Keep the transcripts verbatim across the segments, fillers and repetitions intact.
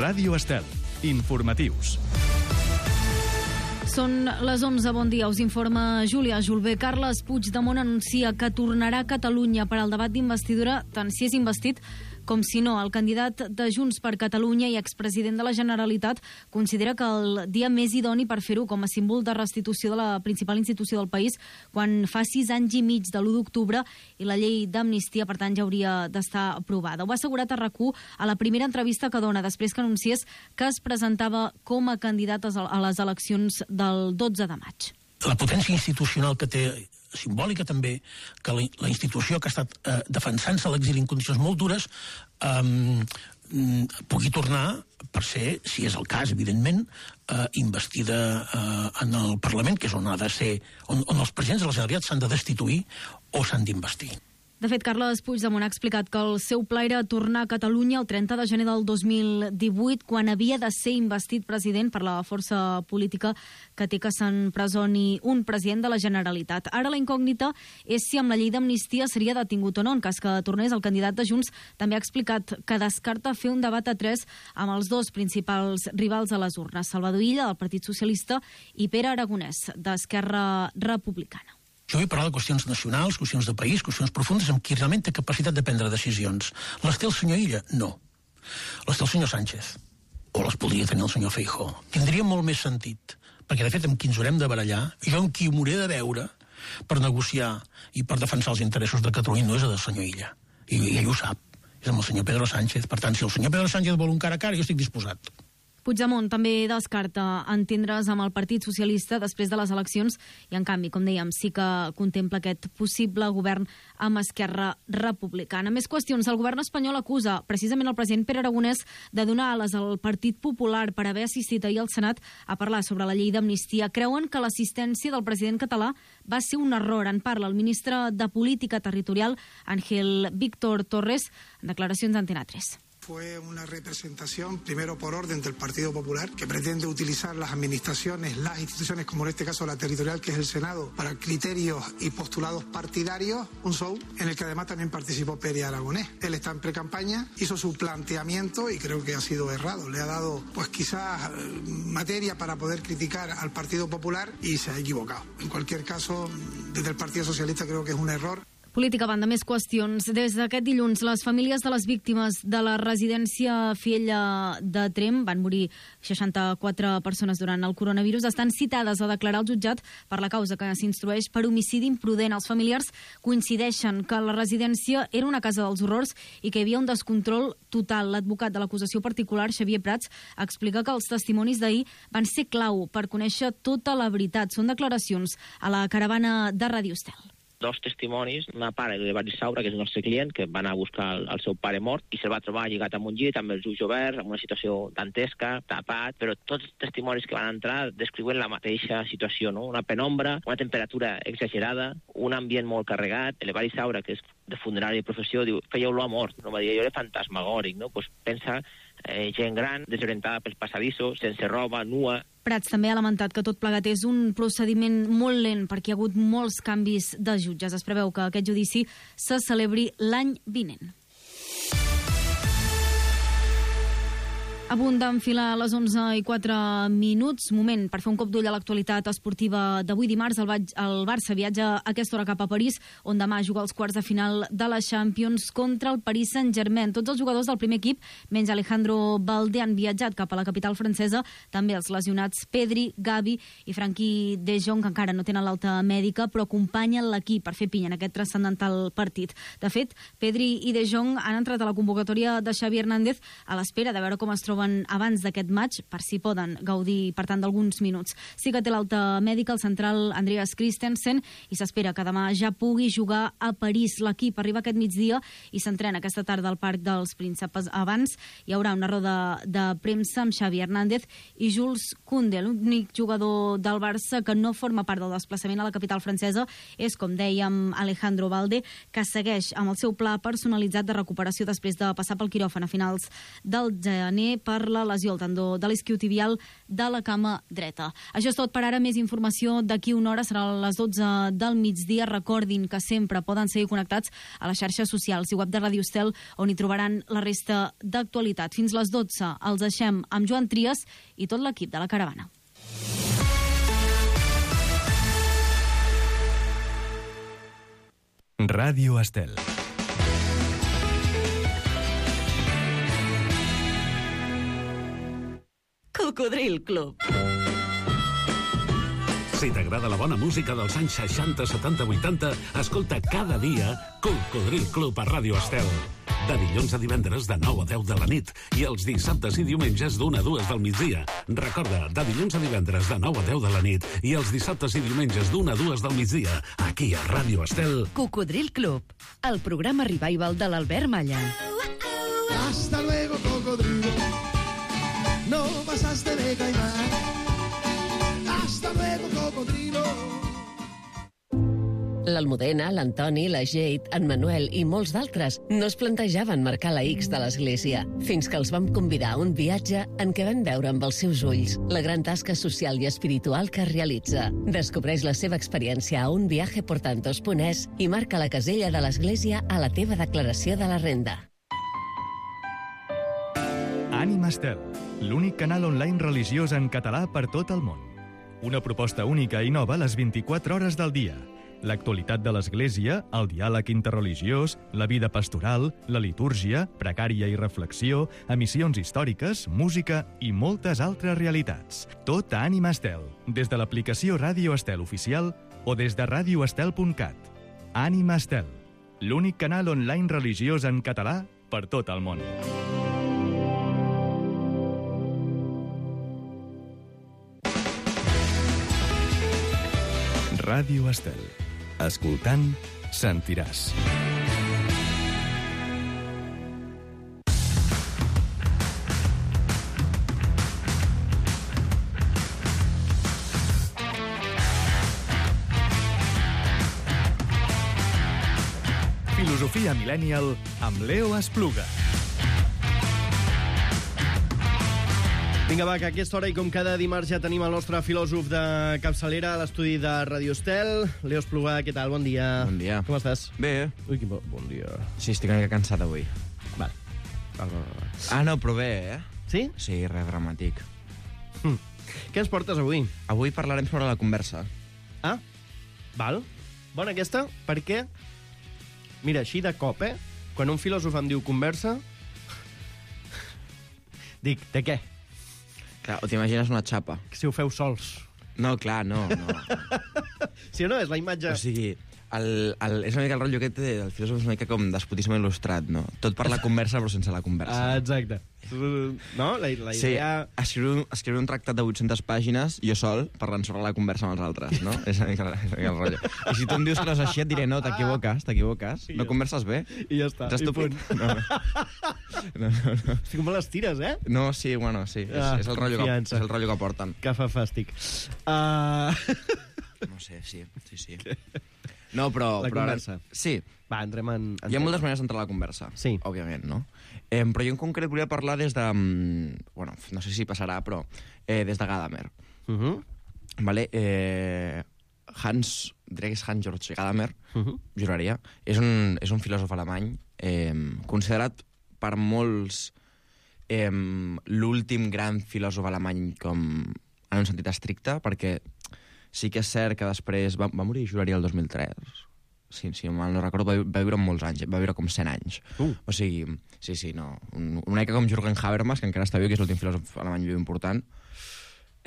Ràdio Estel. Informatius. Són les onze, bon dia, us informa Júlia Julbé. Carles Puigdemont anuncia que tornarà a Catalunya per al debat d'investidura, tant si és investit com si no. El candidat de Junts per Catalunya i expresident de la Generalitat considera que el dia més idoni per fer-ho com a símbol de restitució de la principal institució del país, quan fa sis anys i mig de l'u d'octubre i la llei d'amnistia, per tant, ja hauria d'estar aprovada. Ho ha assegurat a RAC u a la primera entrevista que dona després que anunciés que es presentava com a candidat a les eleccions del dotze de maig. La potència institucional que té, simbòlica també, que la, la institució que ha estat eh, defensant-se a l'exili en condicions molt dures eh, pugui tornar per ser, si és el cas, evidentment, eh, investida eh, en el Parlament, que és on ha de ser, on, on els presidents de la Generalitat s'han de destituir o s'han d'investir. De fet, Carles Puigdemont ha explicat que el seu pla era tornar a Catalunya el trenta de gener del dos mil divuit, quan havia de ser investit president per la força política que té que s'empresoni un president de la Generalitat. Ara la incògnita és si amb la llei d'amnistia seria detingut o no. En cas que tornés, el candidat de Junts també ha explicat que descarta fer un debat a tres amb els dos principals rivals a les urnes, Salvador Illa, del Partit Socialista, i Pere Aragonès, d'Esquerra Republicana. Jo vull parlar de qüestions nacionals, qüestions de país, qüestions profundes amb qui realment té capacitat de prendre decisions. Les té el senyor Illa? No. Les té el senyor Sánchez. O les podria tenir el senyor Feijóo. Tindria molt més sentit, perquè de fet amb qui ens haurem de barallar, jo amb qui m'hauré de veure per negociar i per defensar els interessos de Catalunya no és el senyor Illa. I, i ell ho sap. És amb el senyor Pedro Sánchez. Per tant, si el senyor Pedro Sánchez vol un cara a cara, jo estic disposat. Puigdemont també descarta entendre's amb el Partit Socialista després de les eleccions i, en canvi, com dèiem, sí que contempla aquest possible govern amb Esquerra Republicana. Més qüestions. El govern espanyol acusa precisament el president Pere Aragonès de donar ales al Partit Popular per haver assistit ahir al Senat a parlar sobre la llei d'amnistia. Creuen que l'assistència del president català va ser un error. En parla el ministre de Política Territorial, Ángel Víctor Torres, en declaracions d'Antena tres. Fue una representación, primero por orden del Partido Popular, que pretende utilizar las administraciones, las instituciones, como en este caso la territorial, que es el Senado, para criterios y postulados partidarios, un show en el que además también participó Pere Aragonés. Él está en pre-campaña, hizo su planteamiento y creo que ha sido errado. Le ha dado, pues quizás, materia para poder criticar al Partido Popular y se ha equivocado. En cualquier caso, desde el Partido Socialista creo que es un error. Política, banda, més qüestions. Des d'aquest dilluns, les famílies de les víctimes de la residència Fiella de Tremp, van morir seixanta-quatre persones durant el coronavirus, estan citades a declarar al jutjat per la causa que s'instrueix per homicidi imprudent. Els familiars coincideixen que la residència era una casa dels horrors i que hi havia un descontrol total. L'advocat de l'acusació particular, Xavier Prats, explica que els testimonis d'ahir van ser clau per conèixer tota la veritat. Són declaracions a la caravana de Ràdio Estel. Dos testimonis, una pare de Baris Saura, que és el nostre client, que va anar a buscar el, el seu pare mort i se'l va trobar lligat amb un llit, amb els ulls oberts, en una situació dantesca, tapat, però tots els testimonis que van entrar descriuen la mateixa situació, no? Una penombra, una temperatura exagerada, un ambient molt carregat. El Baris Saura, que és de funerària de professió, diu, feia olor a mort, no? Va dir, jo era fantasmagòric, no? Pues pensa eh, gent gran, desorientada pels passadissos, sense roba, nua. Prats també ha lamentat que tot plegat és un procediment molt lent perquè hi ha hagut molts canvis de jutges. Es preveu que aquest judici se celebri l'any vinent. A punt d'enfilar a les onze i quatre minuts, moment per fer un cop d'ull a l'actualitat esportiva d'avui dimarts. El, el Barça viatja a aquesta hora cap a París, on demà juga els quarts de final de la Champions contra el Paris Saint-Germain. Tots els jugadors del primer equip, menys Alejandro Balde, han viatjat cap a la capital francesa. També els lesionats Pedri, Gavi i Frenkie de Jong, que encara no tenen l'alta mèdica, però acompanyen l'equip per fer pinya en aquest transcendental partit. De fet, Pedri i de Jong han entrat a la convocatòria de Xavi Hernández a l'espera de veure com es troben abans d'aquest maig, per si poden gaudir, per tant, d'alguns minuts. Sí que té l'alta mèdica el central Andreas Christensen i s'espera que demà ja pugui jugar a París. L'equip arriba aquest migdia i s'entrena aquesta tarda al Parc dels Príncipes. Abans hi haurà una roda de premsa amb Xavi Hernández i Jules Koundé. L'únic jugador del Barça que no forma part del desplaçament a la capital francesa és, com dèiem, Alejandro Balde, que segueix amb el seu pla personalitzat de recuperació després de passar pel quiròfan a finals del gener per la lesió al tendó de l'isquiotibial de la cama dreta. Això és tot per ara. Més informació d'aquí una hora, serà a les dotze del migdia. Recordin que sempre poden seguir connectats a les xarxes socials i web de Ràdio Estel, on hi trobaran la resta d'actualitat. Fins les dotze els deixem amb Joan Trias i tot l'equip de la Caravana. Ràdio Estel. Cocodril Club. Si t'agrada la bona música dels anys seixanta, setanta, vuitanta, escolta cada dia Cocodril Club a Ràdio Estel. De dilluns a divendres de nou a deu de la nit i els dissabtes i diumenges d'una a dues del migdia. Recorda, de dilluns a divendres de nou a deu de la nit i els dissabtes i diumenges d'una a dues del migdia, aquí a Ràdio Estel. Cocodril Club, el programa revival de l'Albert Malla. Hasta luego, cocodrilo. No pasaste de caimán. Hasta luego, cocodrilo. L'Almudena, l'Antoni, la Jade, en Manuel i molts d'altres no es plantejaven marcar la X de l'església, fins que els vam convidar a un viatge en què van veure amb els seus ulls la gran tasca social i espiritual que realitza. Descobreix la seva experiència a un viaje por tantos punt es i marca la casella de l'església a la teva declaració de la renda. Ànima Estel, l'únic canal online religiós en català per tot el món. Una proposta única i nova a les vint-i-quatre hores del dia. L'actualitat de l'Església, el diàleg interreligiós, la vida pastoral, la litúrgia, precària i reflexió, emissions històriques, música i moltes altres realitats. Tot a Ànima Estel, des de l'aplicació Ràdio Estel oficial o des de ràdio estel punt cat. Ànima Estel, l'únic canal online religiós en català per tot el món. Ràdio Estel. Escoltant, sentiràs. Filosofia Millennial amb Leo Espluga. Vinga, va, que a aquesta hora i com cada dimarts ja tenim el nostre filòsof de capçalera a l'estudi de Ràdio Estel. Leo Espluga, què tal? Bon dia. Bon dia. Com estàs? Bé. Ui, quin bo... bon dia. Sí, estic una mica cansat avui. Vale. Val, val, val. Ah, no, però bé, eh? Sí? Sí, res dramàtic. Hm. Què ens portes avui? Avui parlarem sobre la conversa. Ah, val. Bona aquesta, perquè... Mira, així de cop, eh? Quan un filòsof em diu conversa... Dic, de què? Clar, o t'imagines una xapa. Si ho feu sols. No, clar, no, no. Sí o no? És la imatge... O sigui, el, el, és una mica el rotllo aquest del filòsof, és una mica com despotisme il·lustrat, no? Tot per la conversa, però sense la conversa. Ah, exacte. No? La, la idea... Sí, escriure, escriure un tractat de vuit-centes pàgines, jo sol, parlant sobre la conversa amb els altres, no? És una mica, és una mica el rotllo. I si tu em dius que no és així, et diré, no, t'equivoques, t'equivoques. No converses bé. I ja està. Ets estúpid. No, no, no, no. Estic molt les tires, eh? No, sí, bueno, sí. És, Ah, és, el rotllo que, és confiança. el rotllo que porten. Que fa fàstic. Uh... No sé, sí, sí, sí. No, però... La però conversa. Ara, sí. Va, entrem en... en Hi ha moltes maneres d'entrar a la conversa, sí. Òbviament, no? Eh, però jo en concret volia parlar des de... Bueno, no sé si passarà, però eh, des de Gadamer. Uh -huh. Vale? Eh, Hans, diria que és Hans Georg Gadamer, uh -huh. juraria. És un, és un filòsof alemany eh, considerat per molts eh, l'últim gran filòsof alemany com en un sentit estricte, perquè sí que és cert que després va, va morir, juraria, el dos mil tres. Sí, sí, mal no recordo, va, va viure molts anys, va viure com cent anys. Uh. O sigui, sí, sí, no. Un, una mica com Jürgen Habermas, que encara està viu, que és l'últim filòsof alemany viu important.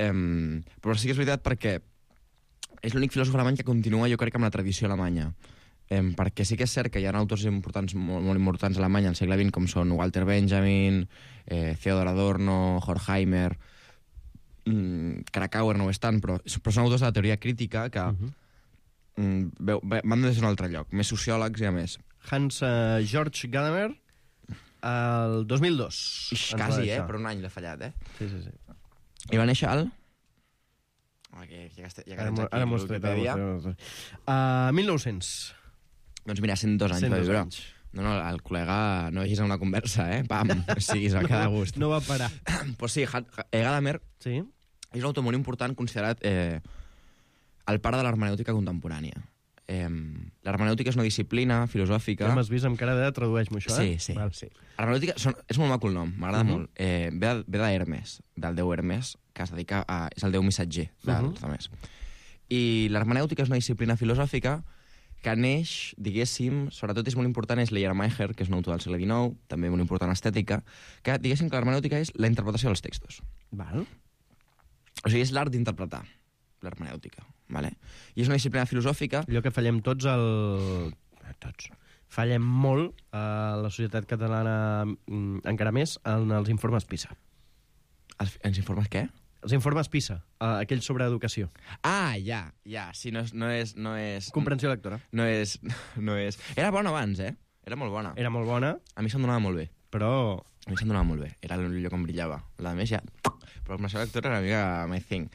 Um, però sí que és veritat perquè és l'únic filòsof alemany que continua, jo crec, amb la tradició alemanya. Um, perquè sí que és cert que hi ha autors importants, molt, molt importants a Alemanya al segle vint, com són Walter Benjamin, eh, Theodor Adorno, Horkheimer, mm, Krakauer no ho és tant, però, però són autors de la teoria crítica que... Uh -huh. Veu, van des d'un altre lloc, més sociòlegs i a més. Hans uh, Georg Gadamer, el dos mil dos. Ix, quasi, eh? Per un any l'he fallat, eh? Sí, sí, sí. I va néixer al... Oh, que, ja que, ja que ara tens aquí ara Wikipedia. Uh, mil nou-cents. Doncs mira, cent dos anys va viure. Anys. No, no, el col·lega no vegis en una conversa, eh? Pam, sí, es va quedar a gust. No va parar. Pues sí, Gadamer sí. és un autor molt important considerat eh, el pare de l'hermenèutica contemporània. Eh, l'hermenèutica és una disciplina filosòfica... Ja m'has vist amb cara de tradueix-me això, eh? Sí, sí. Val, sí. Hermenèutica són, és molt maco el nom, m'agrada uh -huh. molt. Eh, ve ve d'Hermes, del déu Hermes, que es dedica a... és el déu missatger dels uh -huh. altres. I l'hermenèutica és una disciplina filosòfica que neix, diguéssim, sobretot és molt important, és Schleiermacher, que és un autor del segle dinou, també molt important estètica, que diguéssim que l'hermenèutica és la interpretació dels textos. Val. O sigui, és l'art d'interpretar l'hermenèutica, vale? I és una disciplina filosòfica... Allò que fallem tots, el... tots. Fallem molt a la societat catalana, encara més, en els informes PISA. Els, els informes què? Els informes PISA, aquells sobre educació. Ah, ja, ja. Sí, no és... No és, no és Comprensió lectora. No és, no és... Era bona abans, eh? Era molt bona. Era molt bona. A mi se'm donava molt bé. Però... A mi se'm donava molt bé. Era el lloc on brillava. La més ja... Però la comprensió lectora era una mica my thing.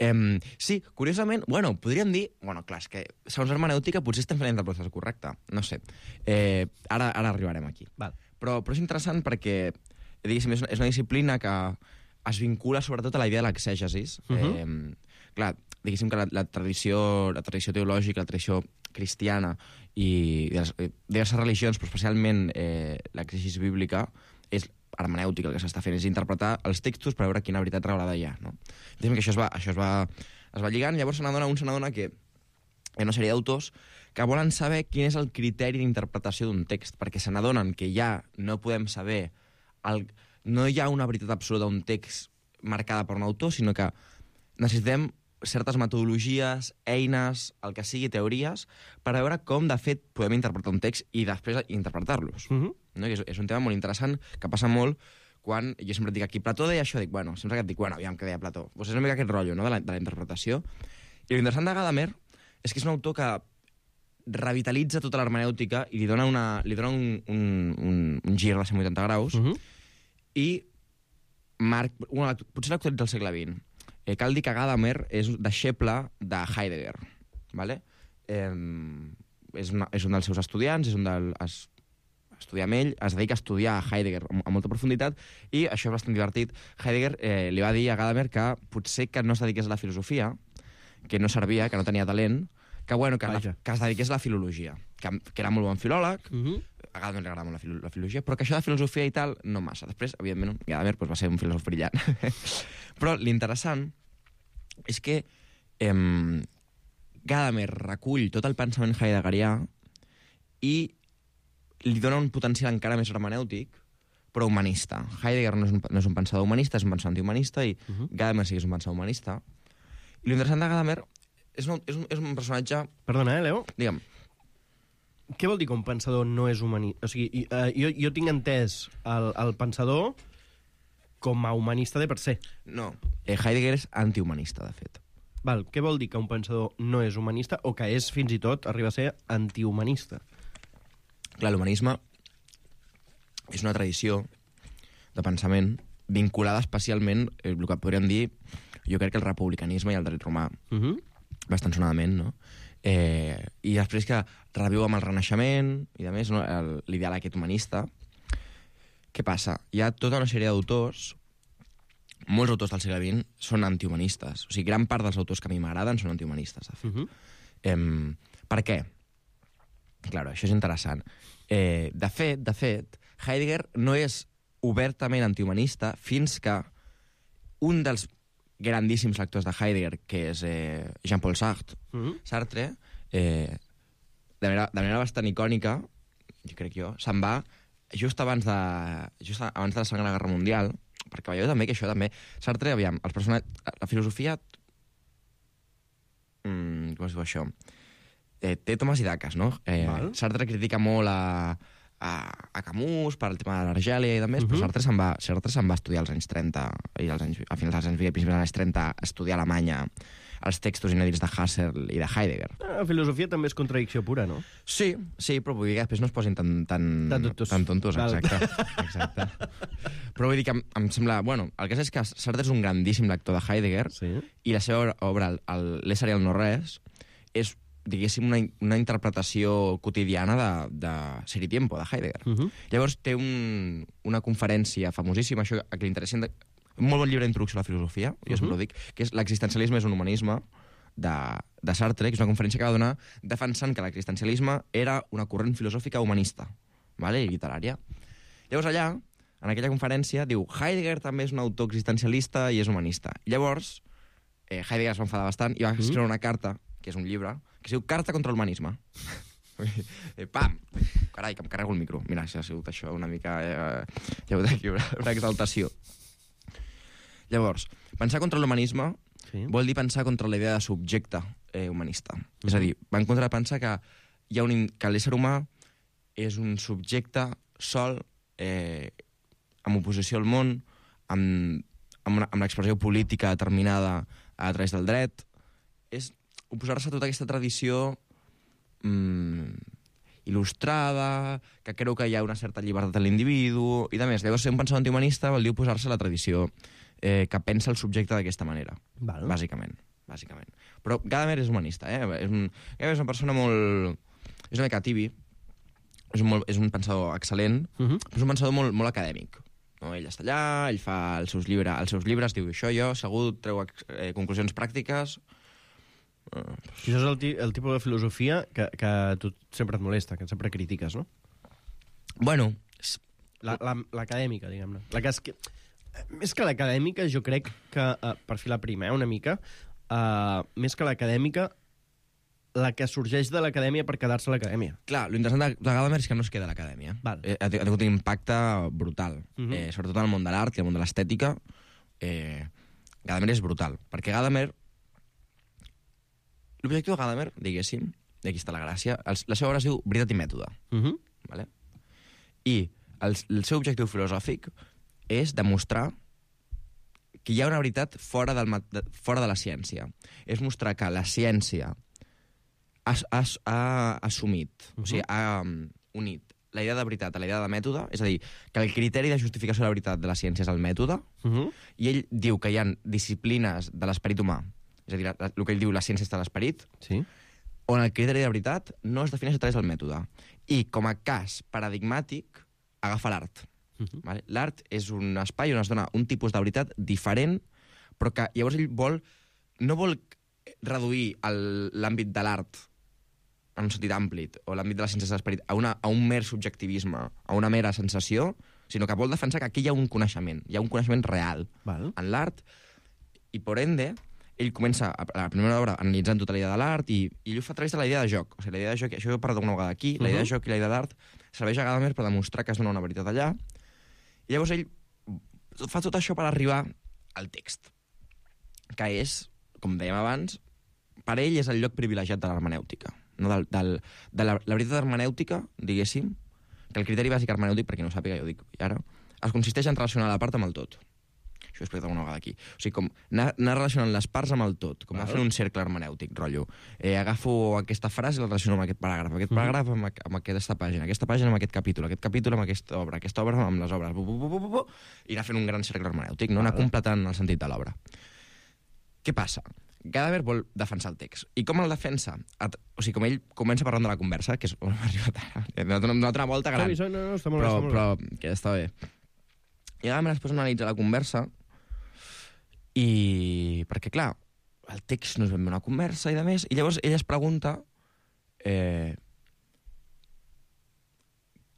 Um, sí, curiosament, bueno, podríem dir... Bueno, clar, és que segons hermenèutica potser estem fent la interpretació correcta. No sé. Eh, ara, ara arribarem aquí. Val. Però, però és interessant perquè, diguéssim, és una, és una disciplina que es vincula sobretot a la idea de l'exègesis. Uh -huh. eh, clar, diguéssim que la, la, tradició, la tradició teològica, la tradició cristiana i de les, eh, diverses religions, però especialment eh, l'exègesis bíblica, és hermenèutica el que s'està fent, és interpretar els textos per veure quina veritat revelada hi ha, no? Diguem que això es va, això es va, es va lligant, llavors se n'adona un se n'adona que hi ha una sèrie d'autors que volen saber quin és el criteri d'interpretació d'un text, perquè se n'adonen que ja no podem saber... El, no hi ha una veritat absoluta d'un text marcada per un autor, sinó que necessitem certes metodologies, eines, el que sigui, teories, per veure com, de fet, podem interpretar un text i després interpretar-los. Uh -huh. No? I és, és un tema molt interessant que passa molt quan jo sempre et dic aquí, Plató deia això, dic, bueno, sempre que et dic, bueno, aviam què deia Plató. Pues és una mica aquest rotllo, no?, de la, de la interpretació. I l'interessant de Gadamer és que és un autor que revitalitza tota l'hermenèutica i li dona, una, li dona un, un, un, un gir de cent vuitanta graus, uh -huh. i marc, una, potser l'actualitza al segle vint. Eh, cal dir que Gadamer és deixeble de Heidegger, ¿vale? Eh, és, una, és un dels seus estudiants, és un del, es, estudia amb ell, es dedica a estudiar a Heidegger amb, amb molta profunditat, i això és bastant divertit. Heidegger eh, li va dir a Gadamer que potser que no es dediqués a la filosofia, que no servia, que no tenia talent, que, bueno, que, la, que es dediqués a la filologia, que, que era molt bon filòleg, uh -huh. a Gadamer li agrada molt la, filo, la filologia, però que això de filosofia i tal, no massa. Després, evidentment, Gadamer pues, va ser un filòsof brillant. Però l'interessant és que eh, Gadamer recull tot el pensament heideggerià i li dona un potencial encara més hermenèutic, però humanista. Heidegger no és un, no és un pensador humanista, és un pensador antihumanista, i uh -huh. Gadamer sí que és un pensador humanista. I l'interessant de Gadamer és un, és un, és un personatge... Perdona, eh, Leo? Digue'm. Què vol dir que un pensador no és humanista? O sigui, uh, jo, jo tinc entès el, el pensador com a humanista de per se. No, eh, Heidegger és antihumanista, de fet. Val, què vol dir que un pensador no és humanista o que és, fins i tot, arriba a ser antihumanista? Clar, l'humanisme és una tradició de pensament vinculada especialment, eh, el que podríem dir, jo crec que el republicanisme i el dret romà, uh -huh. bastant sonadament, no? Eh, I després que reviu amb el Renaixement i, a més, no, l'ideal aquest humanista. Què passa? Hi ha tota una sèrie d'autors, molts autors del segle vint són antihumanistes. O sigui, gran part dels autors que a mi m'agraden són antihumanistes, de fet. Uh -huh. eh, per què? Clar, això és interessant. Eh, de fet, de fet, Heidegger no és obertament antihumanista fins que un dels grandíssims lectors de Heidegger, que és eh, Jean-Paul Sartre, uh -huh. Sartre eh, de, manera, de manera bastant icònica, jo crec jo, se'n va just abans de, just abans de la Segona Guerra Mundial, perquè veieu també que això també... Sartre, aviam, els personatges... La filosofia... Mm, com es diu això? Eh, té tomes i daques, no? Eh, Sartre critica molt a, a, a Camus per el tema de l'Argèlia i de més, uh -huh. però Sartre se'n va, Sartre se'n va estudiar als anys trenta, i als anys, a finals dels anys vint, a principis dels anys trenta, a estudiar a Alemanya els textos inèdits de Husserl i de Heidegger. La filosofia també és contradicció pura, no? Sí, sí, però vull dir que després no es posin tan, tan, tan tontos, tan tontos exacte, exacte. Però vull dir que em, em sembla... Bueno, el que és, és que Sartre és un grandíssim lector de Heidegger, sí. i la seva obra, el, el L'ésser i el no res, és diguéssim, una, una interpretació quotidiana de, de Ser i Tiempo, de Heidegger. Uh -huh. Llavors té un, una conferència famosíssima, això a qui li interessi, un molt bon llibre d'introducció a la filosofia, jo uh -huh. sempre ho dic, que és L'existencialisme és un humanisme, de, de Sartre, que és una conferència que va donar defensant que l'existencialisme era una corrent filosòfica humanista, vale? I literària. Llavors allà, en aquella conferència, diu Heidegger també és un autor existencialista i és humanista. Llavors, eh, Heidegger es va enfadar bastant i va escriure una carta, que és un llibre, que es diu Carta contra l'humanisme. eh, pam! Carai, que em carrego el micro. Mira, si ha sigut això una mica... Eh, hi ha hagut aquí una, una exaltació. Llavors, pensar contra l'humanisme sí. vol dir pensar contra la idea de subjecte eh, humanista. Mm. És a dir, va en contra de pensar que, hi ha un, que l'ésser humà és un subjecte sol, eh, amb oposició al món, amb, amb, una, amb l'expressió política determinada a través del dret. És oposar-se a tota aquesta tradició mm, il·lustrada, que creu que hi ha una certa llibertat a l'individu, i de més. Llavors, ser un pensador antihumanista vol dir oposar-se a la tradició eh, que pensa el subjecte d'aquesta manera, Val. bàsicament. bàsicament. Però Gadamer és humanista, eh? És, un, és una persona molt... És una mica tibi, és un, molt, és un pensador excel·lent, uh -huh. però és un pensador molt, molt acadèmic. No? Ell està allà, ell fa els seus, llibre, els seus llibres, diu això jo, segur, treu eh, conclusions pràctiques... Uh, això és el, ti el tipus de filosofia que, que a tu sempre et molesta, que sempre critiques, no? Bueno... L'acadèmica, la, diguem-ne. La que és que... Més que l'acadèmica, jo crec que, uh, per filar primer una mica, uh, més que l'acadèmica, la que sorgeix de l'acadèmia per quedar-se a l'acadèmia. Clar, l'interessant de, de Gadamer és que no es queda a l'acadèmia. Eh, ha tingut un impacte brutal, uh -huh. eh, sobretot en el món de l'art i el món de l'estètica. Eh, Gadamer és brutal, perquè Gadamer... L'objectiu de Gadamer, diguéssim, i aquí està la gràcia, el, la seva obra es diu Veritat i mètode. Uh -huh. Vale? I el, el seu objectiu filosòfic és demostrar que hi ha una veritat fora, del, de, fora de la ciència. És mostrar que la ciència ha, ha, ha assumit, uh -huh. o sigui, ha um, unit la idea de veritat a la idea de mètode, és a dir, que el criteri de justificació de la veritat de la ciència és el mètode, uh -huh. i ell diu que hi ha disciplines de l'esperit humà, és a dir, el que ell diu la ciència està a l'esperit, sí. on el criteri de veritat no es defineix a través del mètode. I com a cas paradigmàtic agafa l'art. Uh -huh. Vale? L'art és un espai on es dona un tipus de veritat diferent, però que llavors ell vol, no vol reduir l'àmbit de l'art en un sentit ampli, o l'àmbit de la ciència de l'esperit, a, una, a un mer subjectivisme, a una mera sensació, sinó que vol defensar que aquí hi ha un coneixement, hi ha un coneixement real Val. en l'art, i por ende, ell comença a la primera obra analitzant tota la idea de l'art, i, i ell ho fa a través de la idea de joc. O sigui, la idea de joc, això ho he parlat una vegada aquí, uh-huh. la idea de joc i la idea d'art serveix a Gadamer per demostrar que es dona una veritat allà, i llavors ell fa tot això per arribar al text, que és, com dèiem abans, per ell és el lloc privilegiat de l'hermenèutica. No? Del, del, de la, la veritat hermenèutica, diguéssim, que el criteri bàsic hermenèutic, perquè no ho sàpiga, jo ho dic ara, es consisteix en relacionar la part amb el tot. Això ho he explicat una vegada aquí. O sigui, com anar, anar relacionant les parts amb el tot, com Val. a fer un cercle hermenèutic, rotllo. Eh, agafo aquesta frase i la relaciono amb aquest paràgraf, aquest paràgraf amb, amb aquesta pàgina, aquesta pàgina amb aquest capítol, aquest capítol amb aquesta obra, aquesta obra amb les obres, bu, bu, bu, bu, bu, i anar fent un gran cercle hermenèutic, no? Anar completant el sentit de l'obra. Què passa? Gadamer vol defensar el text. I com el defensa? O sigui, com ell comença parlant de la conversa, que és on m'ha arribat ara, una altra volta gran, no, no, no, està molt però, bé, però que està bé. I Gadamer després analitza la conversa i... perquè, clar, el text no és ben bé una conversa i de més, i llavors ell es pregunta eh,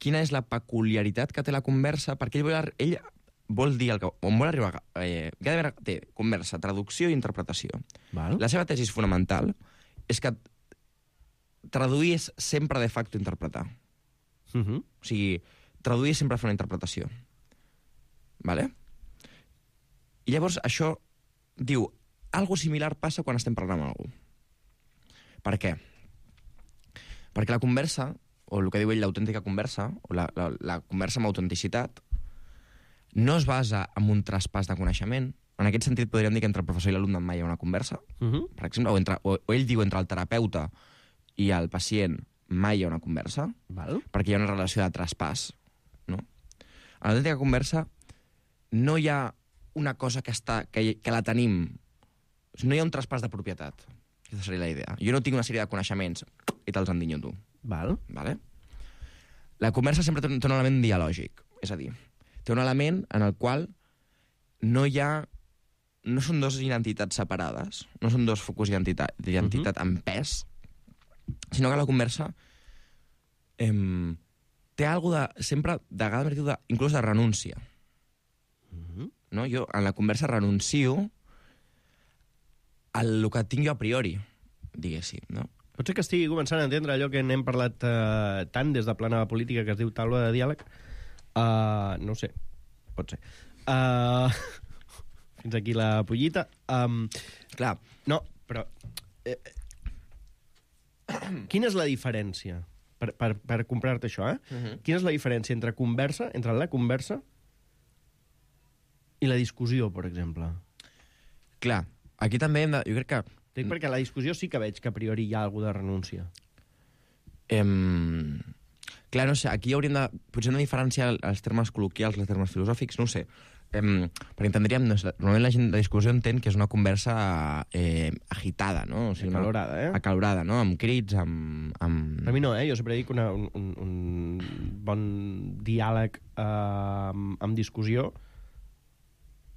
quina és la peculiaritat que té la conversa, perquè ell vol, ell vol dir el que, on vol arribar. Eh, Gadamer té conversa, traducció i interpretació. Val. La seva tesi fonamental és que traduir és sempre de facto interpretar. Uh -huh. O sigui, traduir és sempre fer una interpretació. Vale? I llavors això diu, algo similar passa quan estem parlant amb algú. Per què? Perquè la conversa, o el que diu ell l'autèntica conversa, o la, la, la conversa amb autenticitat, no es basa en un traspàs de coneixement. En aquest sentit podríem dir que entre el professor i l'alumne mai hi ha una conversa, uh -huh. per exemple, o, entre, o, o ell diu entre el terapeuta i el pacient mai hi ha una conversa, Val. perquè hi ha una relació de traspàs. No? En l'autèntica conversa no hi ha una cosa que, està, que, que la tenim. No hi ha un traspàs de propietat. Aquesta seria la idea. Jo no tinc una sèrie de coneixements i te'ls endinyo tu. Val. Vale? La conversa sempre té un, té un element dialògic. És a dir, té un element en el qual no hi ha... No són dos identitats separades, no són dos focus d'identitat uh-huh. en pes, sinó que la conversa eh, té alguna de... Sempre, de vegades, de, inclús de renúncia. Uh-huh. No? Jo, en la conversa, renuncio al que tinc jo a priori, diguéssim, no? Pot ser que estigui començant a entendre allò que n'hem parlat eh, tant des de plana política, que es diu taula de diàleg. Uh, no ho sé, pot ser. Uh, fins aquí la pollita. Um, Clar. No, però... Eh, quina és la diferència? Per, per, per comprar-te això, eh? Uh-huh. Quina és la diferència entre conversa, entre la conversa i la discussió, per exemple? Clar, aquí també hem de... Jo crec que... Dic perquè la discussió sí que veig que a priori hi ha alguna de renúncia. Em... Clar, no sé, aquí hauríem de... Potser hem de diferenciar els termes col·loquials, els termes filosòfics, no ho sé. Em... Perquè entendríem... No sé, normalment la gent de discussió entén que és una conversa eh, agitada, no? O sigui, acalorada, eh? Acalorada, no? Amb crits, amb... amb... Per mi no, eh? Jo sempre dic que un, un, un bon diàleg eh, amb, amb discussió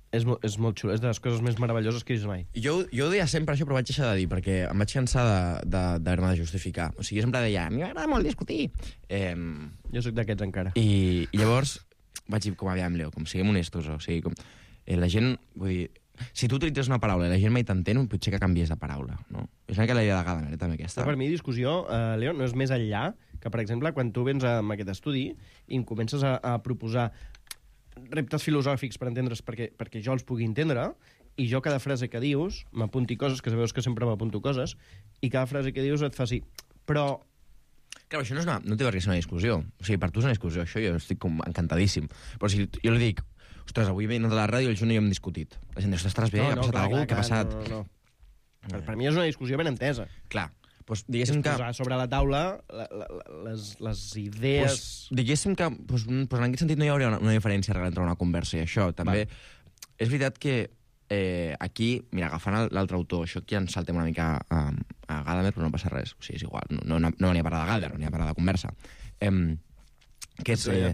és, mo és molt xulo, és de les coses més meravelloses que he vist mai. Jo, jo ho deia sempre això, però vaig deixar de dir, perquè em vaig cansar d'haver-me de, de, de justificar. O sigui, jo sempre deia, a mi m'agrada molt discutir. Eh, jo sóc d'aquests encara. I, I llavors vaig dir, com aviam, Leo, com siguem honestos, o sigui, com... Eh, la gent, vull dir, si tu utilitzes una paraula i la gent mai t'entén, potser que canvies de paraula, no? És una mica la idea de Gadamer, eh, també, aquesta. Però per mi, discussió, eh, Leo, no és més enllà que, per exemple, quan tu vens amb aquest estudi i em comences a, a proposar reptes filosòfics per entendre's perquè, perquè jo els pugui entendre, i jo cada frase que dius m'apunti coses, que sabeu que sempre m'apunto coses, i cada frase que dius et fa sí. Però... Clar, això no, és una, no té per què ser una discussió. O sigui, per tu és una discussió, això jo estic com encantadíssim. Però si jo li dic, ostres, avui he anat a la ràdio i el Joan i jo hem discutit. La gent diu, estàs bé? No, ha passat no, alguna cosa? Què ha passat? No, no, no. Per, per mi és una discussió ben entesa. Clar. Pues, diguéssim que... posar sobre la taula la, la, les, les idees... Pues, diguéssim que pues, pues, en aquest sentit no hi hauria una, una diferència real entre una conversa i això. També Va. És veritat que eh, aquí, mira, agafant l'altre autor, això aquí ens saltem una mica a, a Gadamer, però no passa res. O sigui, és igual, no, no, no venia a parlar de Gadamer, no venia a parlar de conversa. Eh, que és eh,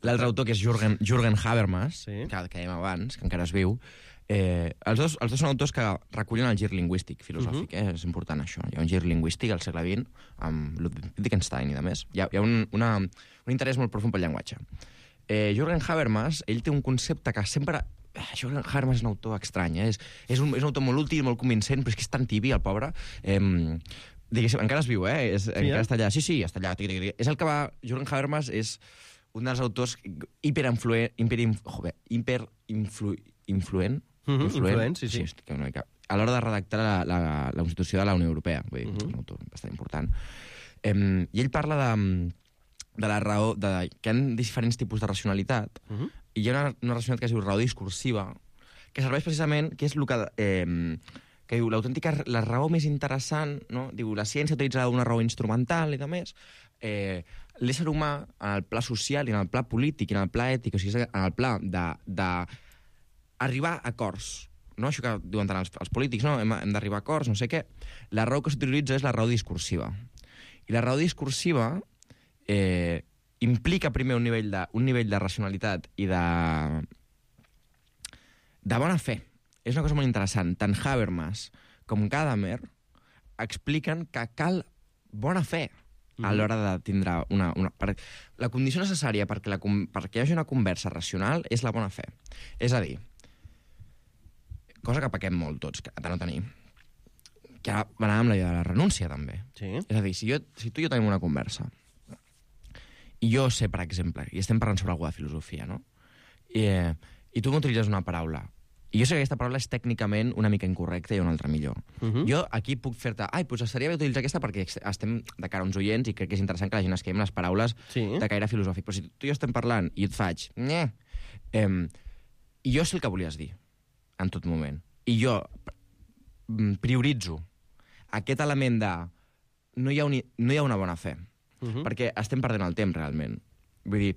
l'altre autor, que és Jürgen, Jürgen Habermas, sí. que, que dèiem abans, que encara es viu. Eh, els, dos, els dos són autors que recullen el gir lingüístic filosòfic, uh -huh. eh? És important això. Hi ha un gir lingüístic al segle vint, amb Wittgenstein i de més. Hi ha, hi ha un, una, un interès molt profund pel llenguatge. Eh, Jürgen Habermas, ell té un concepte que sempre... Eh, Jürgen Habermas és un autor estrany, eh? és, és, un, és un autor molt útil, molt convincent, però és que és tan tibi, el pobre. Eh, diguéssim, encara es viu, eh? És, sí, encara eh? està allà. Sí, sí, està allà. Tic, tic, tic. És el que va... Jürgen Habermas és un dels autors hiperinfluent... Hiper, joder, hiperinfluent... Uh-huh, influent, influent, sí, sí. sí una mica. A l'hora de redactar la, la, la Constitució de la Unió Europea. Vull dir, uh-huh. És un autor bastant important. Um, I ell parla de, de la raó... De, que hi ha diferents tipus de racionalitat, uh-huh. i hi ha una, una racionalitat que es diu raó discursiva, que serveix precisament, que és el que... Eh, que diu, l'autèntica, la raó més interessant, no? Diu, la ciència utilitza una raó instrumental i de més, eh, l'ésser humà, en el pla social i en el pla polític i en el pla ètic, o sigui, en el pla de... de arribar a acords, no? Això que diuen tant els, els polítics, no? Hem, hem d'arribar a acords, no sé què. La raó que s'utilitza és la raó discursiva. I la raó discursiva eh, implica primer un nivell de, un nivell de racionalitat i de, de bona fe. És una cosa molt interessant. Tant Habermas com Gadamer expliquen que cal bona fe a l'hora de tindre una... una per, la condició necessària perquè, la, perquè hi hagi una conversa racional és la bona fe. És a dir, cosa que pequem molt tots, que de no tenir, que ara va anar amb la idea de la renúncia, també. Sí. És a dir, si, jo, si tu i jo tenim una conversa, i jo sé, per exemple, i estem parlant sobre alguna de filosofia, no? I, eh, i tu m'utilitzes una paraula, i jo sé que aquesta paraula és tècnicament una mica incorrecta i una altra millor. Uh -huh. Jo aquí puc fer-te... Ai, doncs estaria bé utilitzar aquesta perquè estem de cara a uns oients i crec que és interessant que la gent es quedi amb les paraules sí. de caire filosòfic. Però si tu i jo estem parlant i jo et faig... Nye, eh, i jo sé el que volies dir en tot moment. I jo prioritzo aquest element de no hi ha, un, no hi ha una bona fe, uh-huh. perquè estem perdent el temps, realment. Vull dir,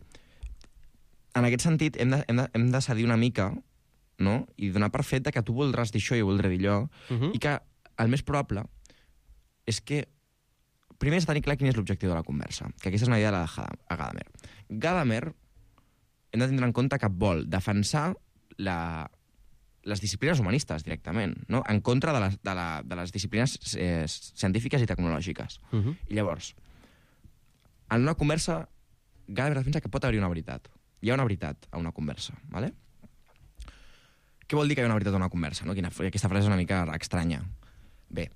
en aquest sentit, hem de, hem de, hem de cedir una mica, no? I donar per fet que tu voldràs dir això i jo voldré dir allò, uh-huh. i que el més probable és que primer és tenir clar quin és l'objectiu de la conversa, que aquesta és una idea de la Gadamer. Gadamer hem de tindre en compte que vol defensar la, les disciplines humanistes directament, no? En contra de les, de la, de les disciplines eh, científiques i tecnològiques. Uh -huh. I llavors, en una conversa, Gadamer defensa que pot haver-hi una veritat. Hi ha una veritat a una conversa, ¿vale? Què vol dir que hi ha una veritat a una conversa? No? Quina, aquesta frase és una mica estranya. Bé,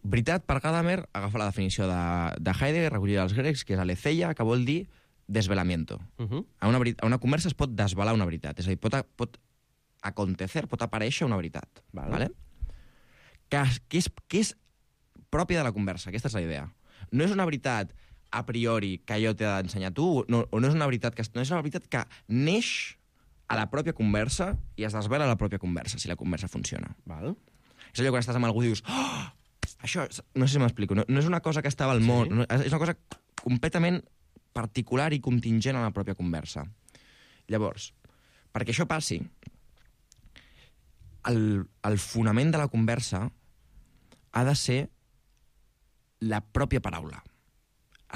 veritat, per Gadamer, agafa la definició de, de Heidegger, recollida dels grecs, que és aletheia, que vol dir desvelamiento. Uh -huh. a, una, a una conversa es pot desvelar una veritat. És a dir, pot, pot acontecer, pot aparèixer una veritat. Vale. Vale? Que, que, és, que és pròpia de la conversa. Aquesta és la idea. No és una veritat a priori que jo t'he d'ensenyar tu, no, o no és una veritat que, no és una veritat que neix a la pròpia conversa i es desvela a la pròpia conversa, si la conversa funciona. Val. És allò quan estàs amb algú i dius oh, això, no sé si m'explico, no, no és una cosa que estava al món, sí. no, és una cosa completament particular i contingent a la pròpia conversa. Llavors, perquè això passi, el, el fonament de la conversa ha de ser la pròpia paraula,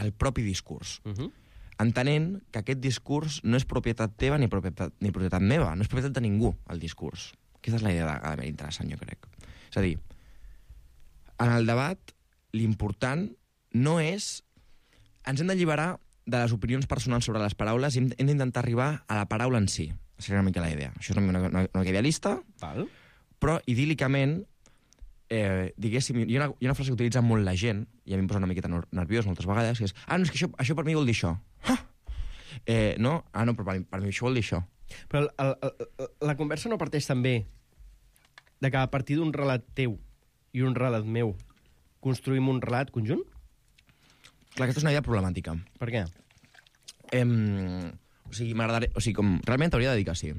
el propi discurs. Uh -huh. Entenent que aquest discurs no és propietat teva ni propietat, ni propietat meva, no és propietat de ningú, el discurs. Aquesta és la idea de Gadamer interessant, jo crec. És a dir, en el debat, l'important no és... Ens hem d'alliberar de les opinions personals sobre les paraules i hem, hem d'intentar arribar a la paraula en si. Seria una mica la idea. Això és una, una, una mica idealista, val. Però idíl·licament, eh, diguéssim, hi ha, una, hi ha una frase que utilitza molt la gent, i a mi em posa una miqueta nerviós moltes vegades, que és, ah, no, és que això, això per mi vol dir això. Ah! Eh, no? Ah, no, però per, per mi això vol dir això. Però el, el, el, la conversa no parteix també de que a partir d'un relat teu i un relat meu construïm un relat conjunt? Clar, aquesta és una idea problemàtica. Per què? Eh, o sigui, m'agradaria... O sigui, com... Realment t'hauria de dir que sí.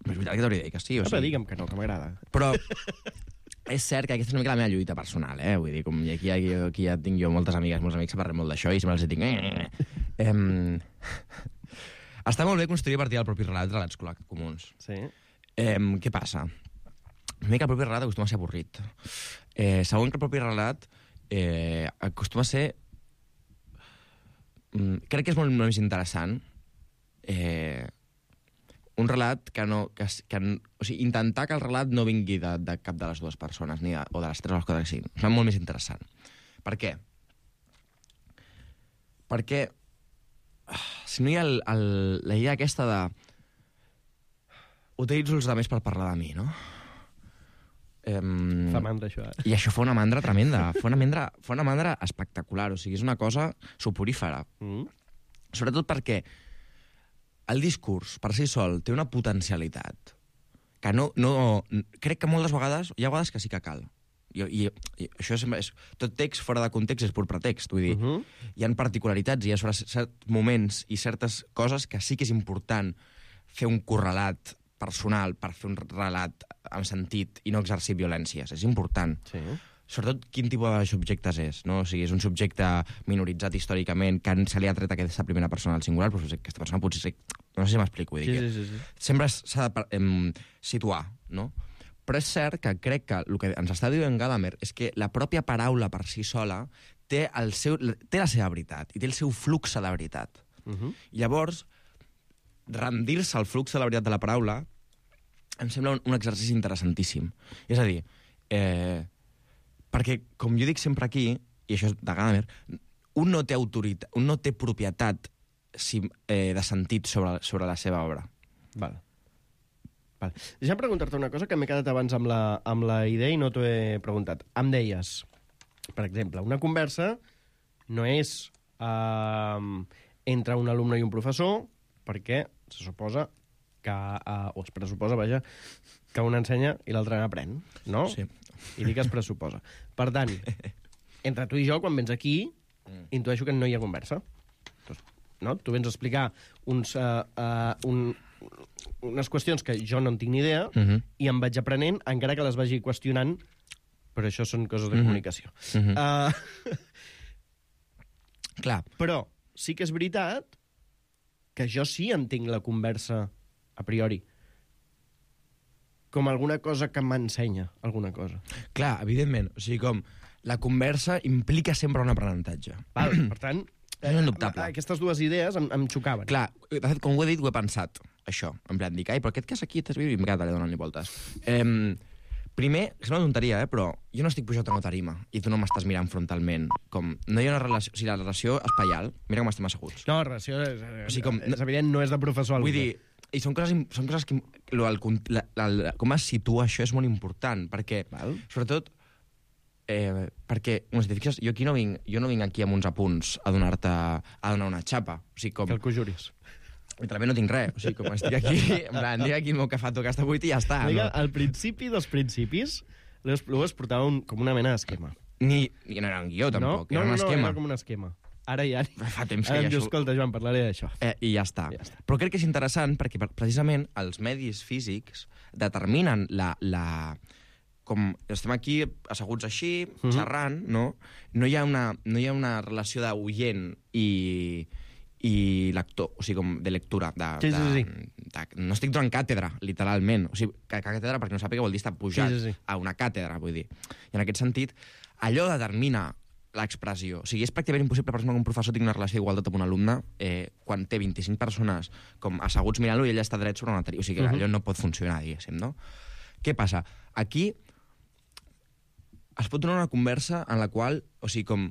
Però és veritat que t'hauria de dir que sí. O no, sigui... però digue'm que no, que m'agrada. Però és cert que aquesta és una mica la meva lluita personal, eh? Vull dir, com aquí, aquí, aquí ja tinc jo moltes amigues, molts amics que parlem molt d'això i sempre els dic... Eh, eh. Està molt bé construir a partir del propi relat relats comuns. Sí. Eh, què passa? Primer que el propi relat acostuma a ser avorrit. Eh, segon que el propi relat eh, acostuma a ser... Mm, crec que és molt, molt més interessant eh, un relat que no... Que, que, o sigui, intentar que el relat no vingui de, de cap de les dues persones, ni de, o de les tres o les quatre que siguin. És molt més interessant. Per què? Perquè si no hi ha el, el, la idea aquesta de utilitzo els altres per parlar de mi, no? Um, fa mandra, això, eh? I això fa una mandra tremenda. fa, una mandra, fa una mandra espectacular. O sigui, és una cosa soporífera. Mm. Sobretot perquè el discurs, per si sol, té una potencialitat que no... no crec que moltes vegades... Hi ha vegades que sí que cal. I, i, i això és, és... Tot text fora de context és pur pretext. Vull dir, uh -huh. hi ha particularitats, hi ha certs moments i certes coses que sí que és important fer un correlat personal per fer un relat amb sentit i no exercir violències. És important. Sí. Sobretot quin tipus de subjectes és, no? O sigui, és un subjecte minoritzat històricament que se li ha tret aquesta primera persona al singular, però aquesta persona potser... Ser... No sé si m'explico. Vull dir, sí, sí, sí, sí. Sempre s'ha de em, situar, no? Però és cert que crec que el que ens està dient Gadamer és que la pròpia paraula per si sola té, el seu, té la seva veritat i té el seu flux de veritat. Uh -huh. I llavors, rendir-se al flux de la veritat de la paraula em sembla un, un exercici interessantíssim. És a dir, eh, perquè, com jo dic sempre aquí, i això és de Gadamer, un no té autoritat, un no té propietat si, eh, de sentit sobre, sobre la seva obra. Val. Vale. Deixa'm preguntar-te una cosa que m'he quedat abans amb la, amb la idea i no t'ho he preguntat. Em deies, per exemple, una conversa no és eh, entre un alumne i un professor, perquè se suposa que, eh, o es pressuposa, vaja, que un ensenya i l'altre n'aprèn, no? Sí. I dic que es pressuposa. Per tant, entre tu i jo, quan vens aquí, mm. intueixo que no hi ha conversa. No? Tu vens a explicar uns, uh, uh, un, unes qüestions que jo no en tinc ni idea uh -huh. i em vaig aprenent, encara que les vagi qüestionant, però això són coses de uh -huh. comunicació. Uh -huh. uh, Clar. Però sí que és veritat que jo sí entenc la conversa a priori. com alguna cosa que m'ensenya alguna cosa. Clar, evidentment. O sigui, com la conversa implica sempre un aprenentatge. Val, per tant, és indubtable. Aquestes dues idees em, em xocaven. Clar, de fet, com ho he dit, ho he pensat, això. En plan, dic, ai, però aquest cas aquí t'has vist i em quedat allà donant-li voltes. Eh, primer, sembla una tonteria, eh, però jo no estic pujat a una tarima i tu no m'estàs mirant frontalment. Com, no hi ha una relació... O sigui, la relació espaial, mira com estem asseguts. No, la relació és, o sigui, com, és evident, no és de professor alumne. Vull dir, i són coses, són coses que... Lo, el, la, la, la, com es situa això és molt important, perquè, Val. sobretot, eh, perquè, no, si te fixes, jo aquí no vinc, jo no vinc aquí amb uns apunts a donar-te, a donar una xapa. O sigui, com... Que el conjuris. Literalment no tinc res. O sigui, com estic aquí, en plan, dic aquí el meu cafato que està buit i ja està. Vinga, no? al principi dels principis, les plues portava un, com una mena d'esquema. Ni, ni no era un guió, tampoc, no, era no, un esquema. No, era com un esquema. Ara ja... Fa temps que Ara ja em diu, això... escolta, Joan, parlaré d'això. Eh, I ja està. ja està. Però crec que és interessant perquè, precisament, els medis físics determinen la... la com estem aquí asseguts així, mm-hmm. xerrant, no? No hi ha una, no hi ha una relació d'oient i, i lector, o sigui, com de lectura. De, sí, sí, sí. De, de, no estic donant càtedra, literalment. O sigui, que, que càtedra, perquè no sàpiga, vol dir estar pujat sí, sí, sí. a una càtedra, vull dir. I en aquest sentit, allò determina l'expressió. O sigui, és pràcticament impossible per exemple, que un professor tingui una relació d'igualtat amb un alumne eh, quan té vint-i-cinc persones com asseguts mirant-lo i ell està dret sobre una tarima. O sigui, uh-huh. allò no pot funcionar, diguéssim, no? Què passa? Aquí es pot donar una conversa en la qual, o sigui, com...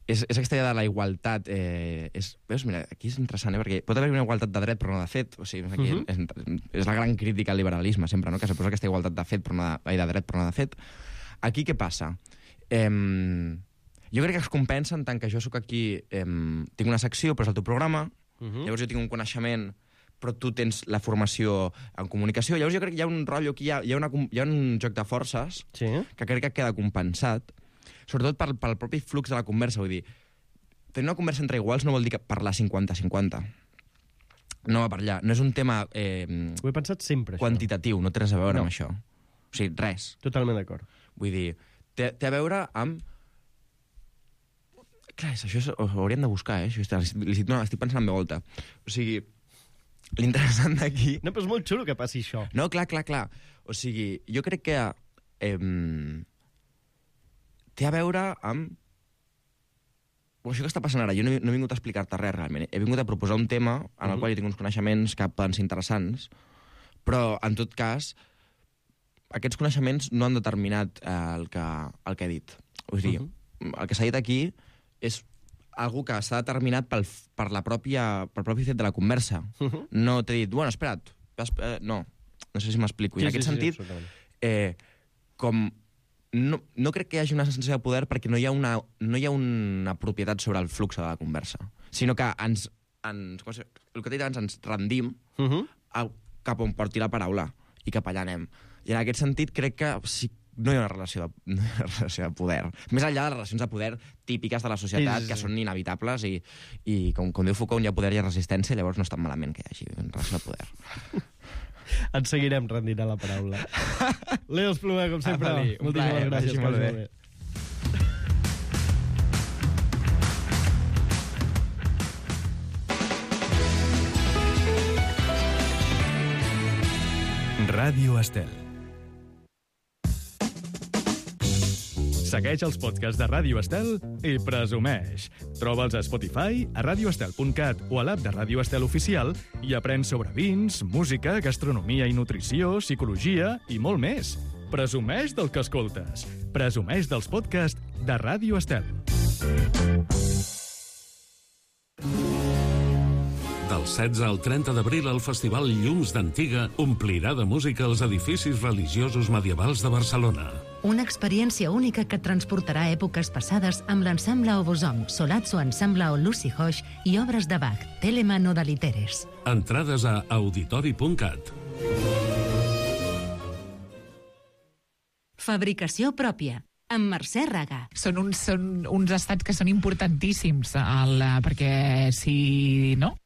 És, és aquesta idea de la igualtat... Eh, és, veus, mira, aquí és interessant, eh, perquè pot haver una igualtat de dret però no de fet. O sigui, aquí uh-huh. és, és la gran crítica al liberalisme, sempre, no? Que se posa aquesta igualtat de fet, però no de, de dret però no de fet. Aquí què passa? Eh, jo crec que es compensa en tant que jo sóc aquí... Eh, tinc una secció, però és el teu programa, uh-huh. llavors jo tinc un coneixement... però tu tens la formació en comunicació. Llavors jo crec que hi ha un rotllo aquí, hi ha, hi ha, una, hi ha un joc de forces sí. que crec que queda compensat, sobretot pel, pel propi flux de la conversa. Vull dir, tenir una conversa entre iguals no vol dir que parlar cinquanta cinquanta. No va per allà. No és un tema eh, Ho he pensat sempre, quantitatiu, no té res a veure no. amb això. O sigui, res. Totalment d'acord. Vull dir, té, té a veure amb... Clar, això és, ho hauríem de buscar, eh? Això, estic, no, estic pensant en veu alta. O sigui... L'interessant d'aquí... No, però és molt xulo que passi això. No, clar, clar, clar. O sigui, jo crec que eh, té a veure amb... Bueno, això que està passant ara, jo no he, no he vingut a explicar-te res, realment. He vingut a proposar un tema en el uh-huh. qual jo tinc uns coneixements que poden ser interessants, però, en tot cas, aquests coneixements no han determinat eh, el, que, el que he dit. Vull dir, uh-huh. el que s'ha dit aquí és... algú que està determinat pel, per la pròpia, pel propi fet de la conversa. Uh-huh. No t'he dit, bueno, espera't, eh, no, no sé si m'explico. Sí, I en aquest sí, sentit, sí, eh, com no, no crec que hi hagi una sensació de poder perquè no hi ha una, no hi ha una propietat sobre el flux de la conversa, sinó que ens, ens com si, el que t'he dit abans, ens rendim uh-huh. a, cap on porti la paraula i cap allà anem. I en aquest sentit crec que sí, no hi ha una relació de, no hi ha una relació de poder. Més enllà de les relacions de poder típiques de la societat, sí, sí, sí. que són inevitables, i, i com, com diu Foucault, on hi ha poder i resistència, llavors no és tan malament que hi hagi una relació de poder. Ens seguirem rendint a la paraula. Leo Espluga, com sempre. Ah, vale, moltíssimes plaer, gràcies. Molt bé. Ràdio Estel. Segueix els podcasts de Ràdio Estel i presumeix. Troba'ls a Spotify, a radioestel punt cat o a l'app de Ràdio Estel Oficial i aprèn sobre vins, música, gastronomia i nutrició, psicologia i molt més. Presumeix del que escoltes. Presumeix dels podcasts de Ràdio Estel. Del setze al trenta d'abril, el Festival Llums d'Antiga omplirà de música els edificis religiosos medievals de Barcelona. Una experiència única que et transportarà a èpoques passades amb l'ensemble Obosom, Solazzo Ensemble o Lucy Hoix i obres de Bach, Telemann o de Literes. Entrades a auditori punt cat. Fabricació pròpia, amb Mercè Raga. Són uns, són uns estats que són importantíssims, el, perquè si... no?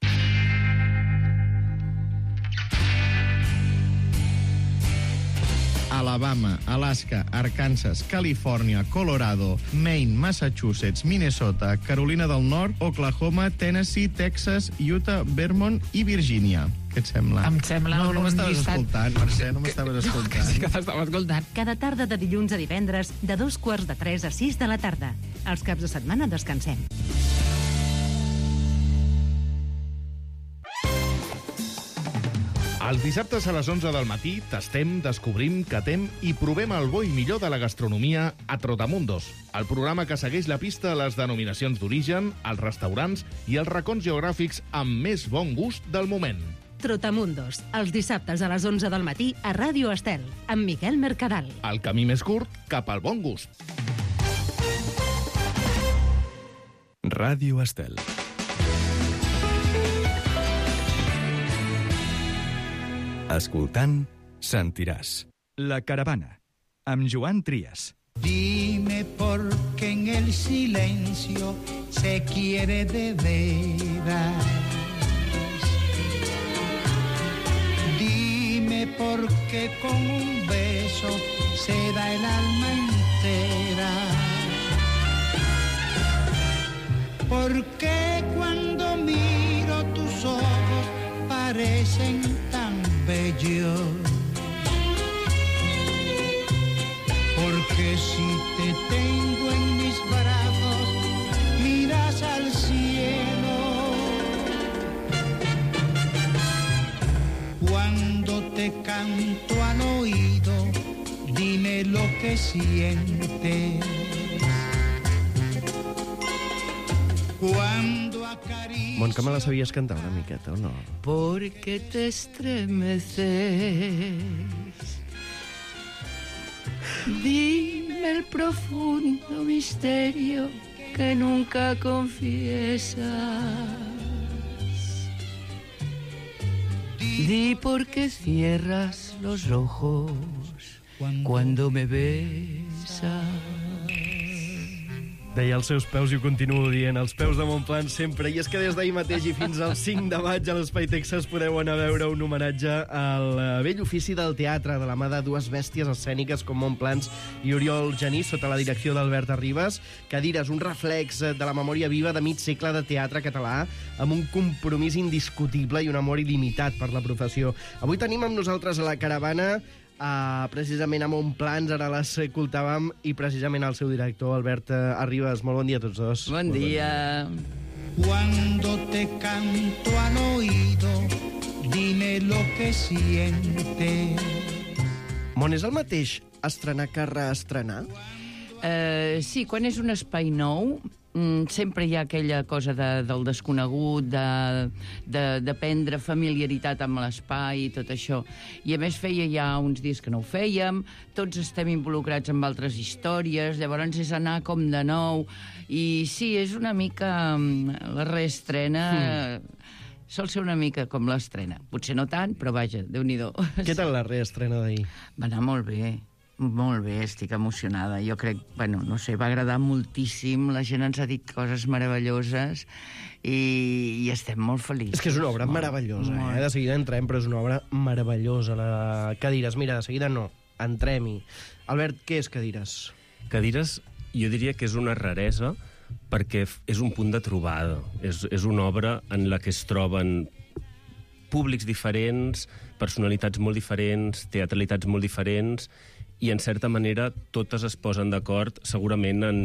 A Alabama, Alaska, Arkansas, Califòrnia, Colorado, Maine, Massachusetts, Minnesota, Carolina del Nord, Oklahoma, Tennessee, Texas, Utah, Vermont i Virgínia. Què et sembla? Em sembla no, no un m'estaves llistat... escoltant, Mercè, no m'estaves escoltant. Sí que t'estava escoltant. Cada tarda de dilluns a divendres, de dos quarts de tres a sis de la tarda. Els caps de setmana descansem. Els dissabtes a les onze del matí tastem, descobrim, catem i provem el bo i millor de la gastronomia a Trotamundos, el programa que segueix la pista a les denominacions d'origen, els restaurants i els racons geogràfics amb més bon gust del moment. Trotamundos, els dissabtes a les onze del matí a Ràdio Estel, amb Miquel Mercadal. El camí més curt cap al bon gust. Ràdio Estel. Escoltant, sentiràs. La caravana, amb Joan Trias. Dime por qué en el silencio se quiere de veras. Dime por qué con un beso se da el alma entera. ¿Por qué cuando miro tus ojos parecen tan bellos? Porque si te tengo en mis brazos, miras al cielo. Cuando te canto al oído, dime lo que sientes. Cuando acaricio... Bon, que me la sabies cantar una miqueta, o no? Porque te estremeces. Dime el profundo misterio que nunca confiesas. Di por qué cierras los ojos cuando me besas. Deia els seus peus i ho continuo dient, els peus de Montplan sempre. I és que des d'ahir mateix i fins al cinc de maig a l'Espai Texas podeu anar a veure un homenatge al vell ofici del teatre de la mà de dues bèsties escèniques com Montplans i Oriol Genís, sota la direcció d'Albert Arribas. Cadires, un reflex de la memòria viva de mig segle de teatre català, amb un compromís indiscutible i un amor il·limitat per la professió. Avui tenim amb nosaltres a la caravana Uh, precisament a Montplans, ara l'escoltàvem, i precisament el seu director, Albert Arribas. Molt bon dia a tots dos. Bon dia. Cuando te canto al oído, dime lo que sientes. Mon, és el mateix estrenar que reestrenar? Uh, sí, quan és un espai nou, mm, sempre hi ha aquella cosa de, del desconegut, de, de, de prendre familiaritat amb l'espai i tot això. I a més feia ja uns dies que no ho fèiem, tots estem involucrats amb altres històries, llavors és anar com de nou. I sí, és una mica la reestrena... Mm. Sol ser una mica com l'estrena. Potser no tant, però vaja, Déu-n'hi-do. Què tal la reestrena d'ahir? Va anar molt bé. Molt bé, estic emocionada. Jo crec, bueno, no sé, va agradar moltíssim, la gent ens ha dit coses meravelloses i, i estem molt feliços. És que és una obra molt meravellosa, molt. eh? De seguida entrem, però és una obra meravellosa. La Cadires, mira, de seguida no, entrem-hi. Albert, què és Cadires? Cadires, jo diria que és una raresa perquè és un punt de trobada. És, és una obra en la que es troben públics diferents, personalitats molt diferents, teatralitats molt diferents, i en certa manera totes es posen d'acord segurament en,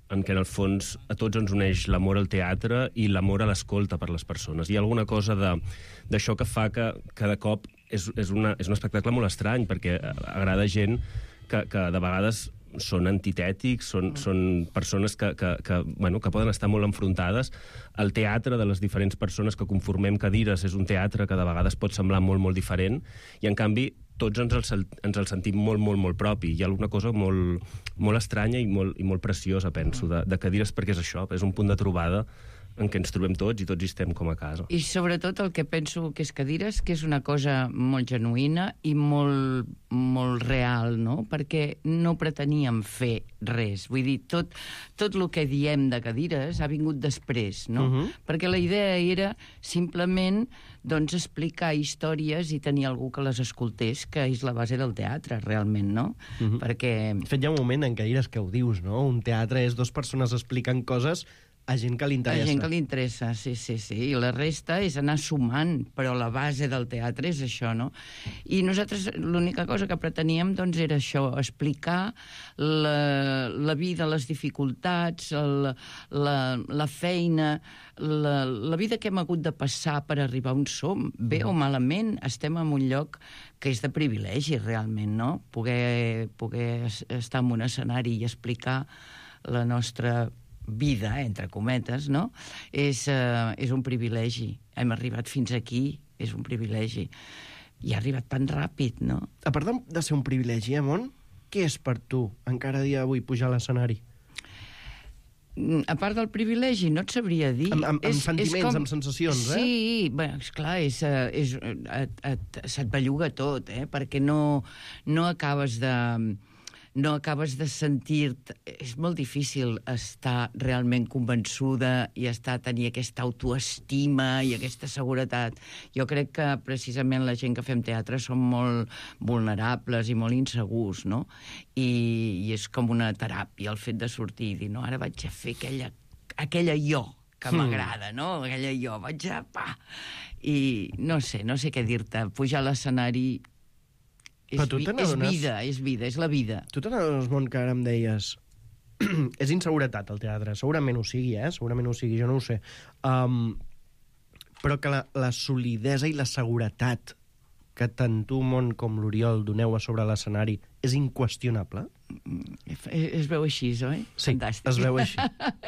en que en el fons a tots ens uneix l'amor al teatre i l'amor a l'escolta per les persones. Hi ha alguna cosa d'això que fa que cada cop és, és, una, és un espectacle molt estrany, perquè agrada gent que, que de vegades són antitètics, són, són persones que, que, que, bueno, que poden estar molt enfrontades. El teatre de les diferents persones que conformem Cadires és un teatre que de vegades pot semblar molt, molt diferent, i en canvi tots ens el, ens el sentim molt, molt, molt propi. Hi ha alguna cosa molt, molt estranya i molt, i molt preciosa, penso, de, de Cadires, perquè és això, és un punt de trobada en què ens trobem tots i tots hi estem com a casa. I sobretot el que penso que és cadires, que és una cosa molt genuïna i molt, molt real, no? Perquè no preteníem fer res. Vull dir, tot, tot el que diem de cadires ha vingut després, no? Uh-huh. Perquè la idea era simplement doncs, explicar històries i tenir algú que les escoltés, que és la base del teatre, realment, no? Uh-huh. Perquè... De fet, hi ha un moment en què Ires que ho dius, no? Un teatre és dues persones explicant coses a gent que li interessa. A gent que li interessa, sí, sí, sí. I la resta és anar sumant, però la base del teatre és això, no? I nosaltres l'única cosa que preteníem doncs, era això, explicar la, la vida, les dificultats, el, la, la feina, la, la vida que hem hagut de passar per arribar on som. Bé o malament, estem en un lloc que és de privilegi, realment, no? Poder, poder estar en un escenari i explicar la nostra vida, entre cometes, no? És, uh, és un privilegi. Hem arribat fins aquí, és un privilegi. I ha arribat tan ràpid, no? A part de, de ser un privilegi, eh, Mont? Què és per tu, encara a dia d'avui, pujar a l'escenari? A part del privilegi, no et sabria dir. Amb, amb, amb sentiments, com... amb sensacions, eh? Sí, bé, esclar, és, és, et, et, se't belluga tot, eh? Perquè no, no acabes de... no acabes de sentir-te... És molt difícil estar realment convençuda i estar tenir aquesta autoestima i aquesta seguretat. Jo crec que precisament la gent que fem teatre som molt vulnerables i molt insegurs, no? I, i és com una teràpia el fet de sortir i dir, no, ara vaig a fer aquella, aquella jo que m'agrada, no? Aquella jo, vaig a... Pa! I no sé, no sé què dir-te. Pujar a l'escenari... És, vi és vida, és vida, és la vida. Tu te n'adones, Mont, que ara em deies... és inseguretat, el teatre. Segurament ho sigui, eh? Segurament ho sigui, jo no ho sé. Um, però que la, la solidesa i la seguretat que tant tu, Mont, com l'Oriol doneu a sobre l'escenari és inqüestionable? Es, es veu així, oi? Sí, fantàstic. Es veu així.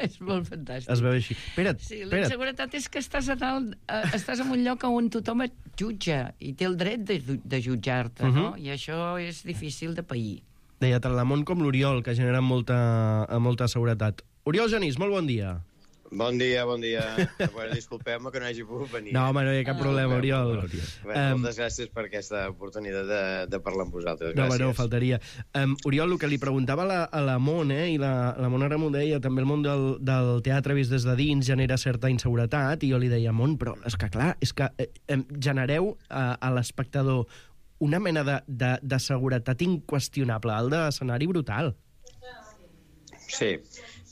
És molt fantàstic. Es veu així. Espera't, sí, la espera't. inseguretat és que estàs, a dalt, eh, estàs en un lloc on tothom et jutja i té el dret de, de jutjar-te, uh-huh. no? I això és difícil de pair. Deia tant la Mont com l'Oriol, que generen molta, molta seguretat. Oriol Genís, molt bon dia. Bon dia, bon dia. Bueno, disculpeu-me que no hagi pogut venir. No, home, no hi ha cap problema, ah, Oriol. Bueno, um, moltes gràcies per aquesta oportunitat de, de parlar amb vosaltres. No, gràcies. no, faltaria. Um, Oriol, el que li preguntava a la, a la Mont, eh, i la, la Mont ara m'ho deia, també el món del, del teatre vist des de dins genera certa inseguretat, i jo li deia, Mont, però és que clar, és que eh, genereu a, a l'espectador una mena de, de, de seguretat inqüestionable, al de l'escenari brutal. Sí.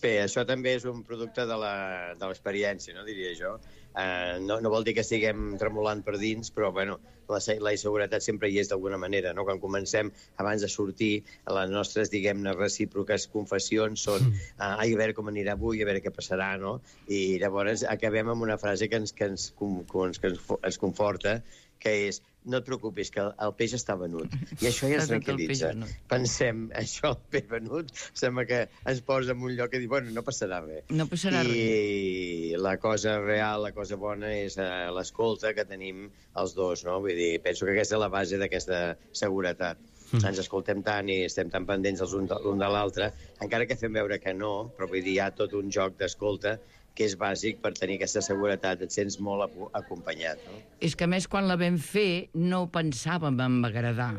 Bé, això també és un producte de l'experiència, no, diria jo. Uh, no, no vol dir que estiguem tremolant per dins, però bueno, la, la inseguretat sempre hi és d'alguna manera, no? Quan comencem, abans de sortir, les nostres, diguem-ne, recíproques confessions són uh, ai, a veure com anirà avui, a veure què passarà, no? I llavors acabem amb una frase que ens, que ens, que ens, que ens, ens conforta, que és, no et preocupis, que el, el peix està venut. I això ja ens tranquil·litza. Pensem, això, el peix venut, sembla que ens posa en un lloc que dir, bueno, no passarà res. No passarà I res. I la cosa real, la cosa bona, és uh, l'escolta que tenim els dos, no? Vull dir, penso que aquesta és la base d'aquesta seguretat. Mm. Ens escoltem tant i estem tan pendents els un de, l'un de l'altre, encara que fem veure que no, però vull dir, hi ha tot un joc d'escolta que és bàsic per tenir aquesta seguretat, et sents molt acompanyat. No? És que, a més, quan la vam fer, no pensàvem en agradar,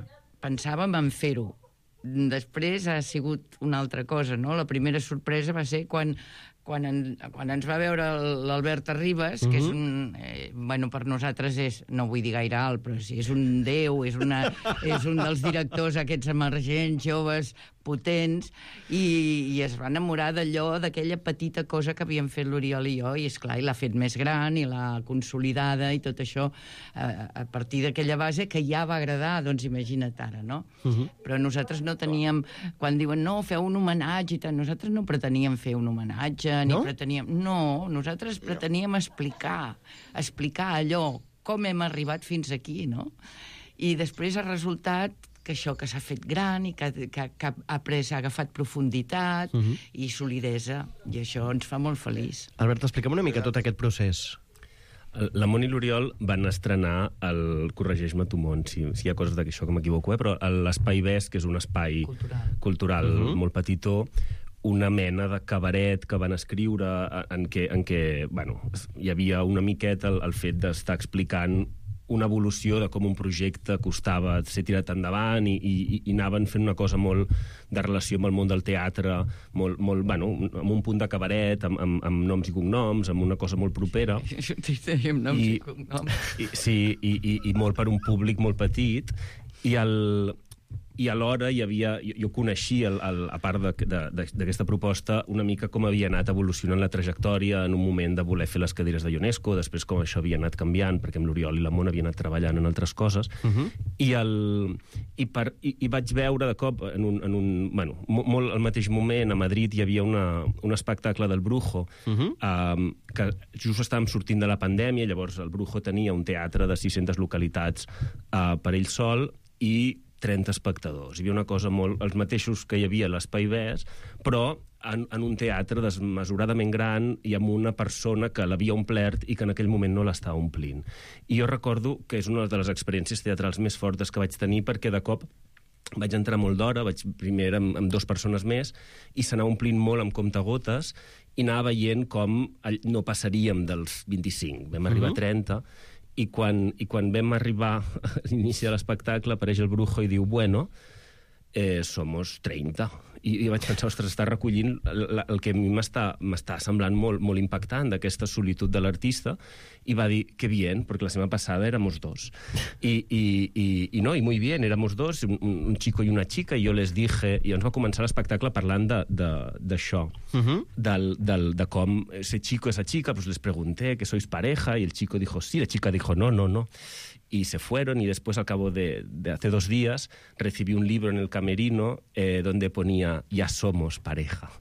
pensàvem en fer-ho. Després ha sigut una altra cosa, no? La primera sorpresa va ser quan, quan, en, quan ens va veure l'Albert Arribas, uh-huh. que és un... Eh, bueno, per nosaltres és, no vull dir gaire alt, però sí, és un déu, és, una, és un dels directors aquests emergents, joves, potents, i, i es va enamorar d'allò, d'aquella petita cosa que havíem fet l'Oriol i jo, i esclar, i l'ha fet més gran, i l'ha consolidada, i tot això, a, a partir d'aquella base que ja va agradar, doncs imagina't ara, no? Uh-huh. Però nosaltres no teníem, quan diuen, no, feu un homenatge i tal, nosaltres no preteníem fer un homenatge, no? Ni preteníem... No, nosaltres preteníem explicar, explicar allò, com hem arribat fins aquí, no? I després ha resultat que això que s'ha fet gran i que, que, que ha pres, ha agafat profunditat uh-huh. i solidesa, i això ens fa molt feliç. Albert, explica'm una mica tot aquest procés. La Mont i l'Oriol van estrenar el Corregeix-me tu, Mont, si, si hi ha coses d'això que m'equivoco, eh? Però l'Espai Vesc, que és un espai cultural, cultural uh-huh. molt petitó, una mena de cabaret que van escriure en què, en què bueno, hi havia una miqueta el, el fet d'estar explicant una evolució de com un projecte costava ser tirat endavant i, i, i anaven fent una cosa molt de relació amb el món del teatre, molt, molt, bueno, amb un punt de cabaret, amb, amb, amb noms i cognoms, amb una cosa molt propera. Amb noms i, i cognoms. I, sí, i, i, i molt per un públic molt petit. I el... I alhora hi havia, jo, jo coneixia, el, el, a part d'aquesta proposta, una mica com havia anat evolucionant la trajectòria en un moment de voler fer les cadires de UNESCO, després com això havia anat canviant, perquè amb l'Oriol i la Mona havia anat treballant en altres coses, uh-huh. i, el, i, per, i, i vaig veure de cop, en un, en un, bueno, molt al mateix moment, a Madrid hi havia una, un espectacle del Brujo, uh-huh. um, que just estàvem sortint de la pandèmia, llavors el Brujo tenia un teatre de sis-centes localitats uh, per ell sol, i trenta espectadors. Hi havia una cosa molt... els mateixos que hi havia a l'Espai Bes, però en, en un teatre desmesuradament gran i amb una persona que l'havia omplert i que en aquell moment no l'estava omplint. I jo recordo que és una de les experiències teatrals més fortes que vaig tenir, perquè de cop vaig entrar molt d'hora, vaig primer amb, amb dues persones més, i s'anava omplint molt amb comptagotes, i anava veient com no passaríem dels vint-i-cinc. Vam arribar a trenta, I quan, i quan vam arribar a l'inici de l'espectacle apareix el Brujo i diu, bueno, eh, somos treinta. I, i vaig pensar, ostres, està recollint el, el que a mi m'està semblant molt, molt impactant d'aquesta solitud de l'artista, i va dir, que bien, perquè la setmana passada éramos dos. I, i, i, i no, i muy bien, éramos dos, un, un chico i una chica, i jo les dije, i ens va començar l'espectacle parlant d'això, uh-huh. del, del, de com ese chico, esa chica, pues les pregunté que sois pareja, y el chico dijo sí, la chica dijo no, no, no. Y se fueron, y después, al cabo de, de hace dos días, recibí un libro en el camerino eh, donde ponía «Ja somos pareja».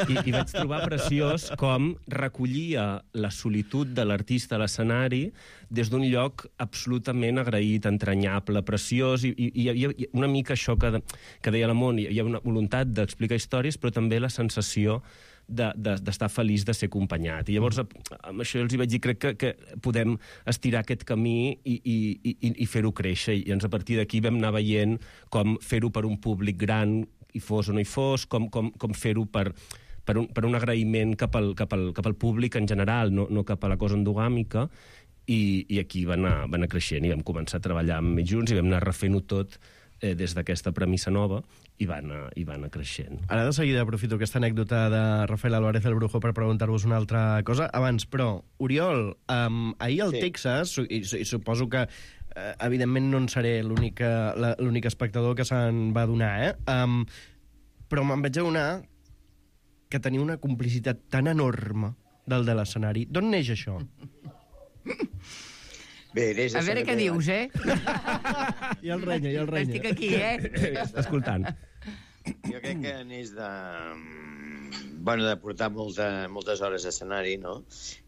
I, i vaig trobar preciós com recollia la solitud de l'artista a l'escenari des d'un lloc absolutament agraït, entranyable, preciós, i, i, i hi havia una mica això que, que deia la Món, hi havia una voluntat d'explicar històries, però també la sensació d'estar de, de, feliç de ser acompanyat. I llavors, amb això els hi vaig dir, crec que, que podem estirar aquest camí i, i, i, i fer-ho créixer. I ens, a partir d'aquí vam anar veient com fer-ho per un públic gran, hi fos o no hi fos, com, com, com fer-ho per, per, un, per un agraïment cap al, cap, al, cap al públic en general, no, no cap a la cosa endogàmica, i, i aquí va anar, va anar creixent, i vam començar a treballar amb ells junts, i vam anar refent-ho tot eh, des d'aquesta premissa nova, i va anar, i va anar creixent. Ara de seguida aprofito aquesta anècdota de Rafael Álvarez el Brujo per preguntar-vos una altra cosa. Abans, però, Oriol, um, ahir al sí. Texas, i, i suposo que uh, evidentment no en seré l'únic espectador que se'n va donar, eh? Um, però me'n vaig adonar que tenia una complicitat tan enorme del de l'escenari. D'on neix això? Bé, a veure què dius, eh? I el renya, i el renya. Estic aquí, eh? Escoltant. Jo crec que neix de... Bueno, de portar molta, moltes hores d'escenari, no?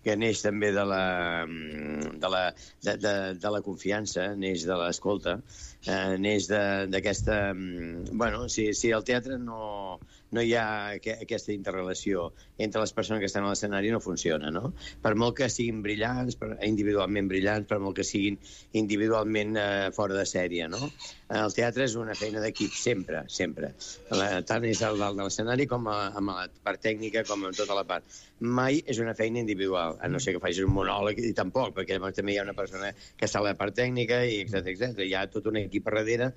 Que neix també de la, de la, de, de, de la confiança, neix de l'escolta, eh, neix d'aquesta... Bueno, si, si al teatre no, no hi ha aquesta interrelació entre les persones que estan a l'escenari, no funciona, no? Per molt que siguin brillants, per, individualment brillants, per molt que siguin individualment eh, fora de sèrie, no? El teatre és una feina d'equip, sempre, sempre. La, tant és el dalt de l'escenari com a, amb la part tècnica, com amb tota la part. Mai és una feina individual, a no ser que facis un monòleg, i tampoc, perquè també hi ha una persona que està a la part tècnica, i etcètera, etcètera. Hi ha tot un equip a darrere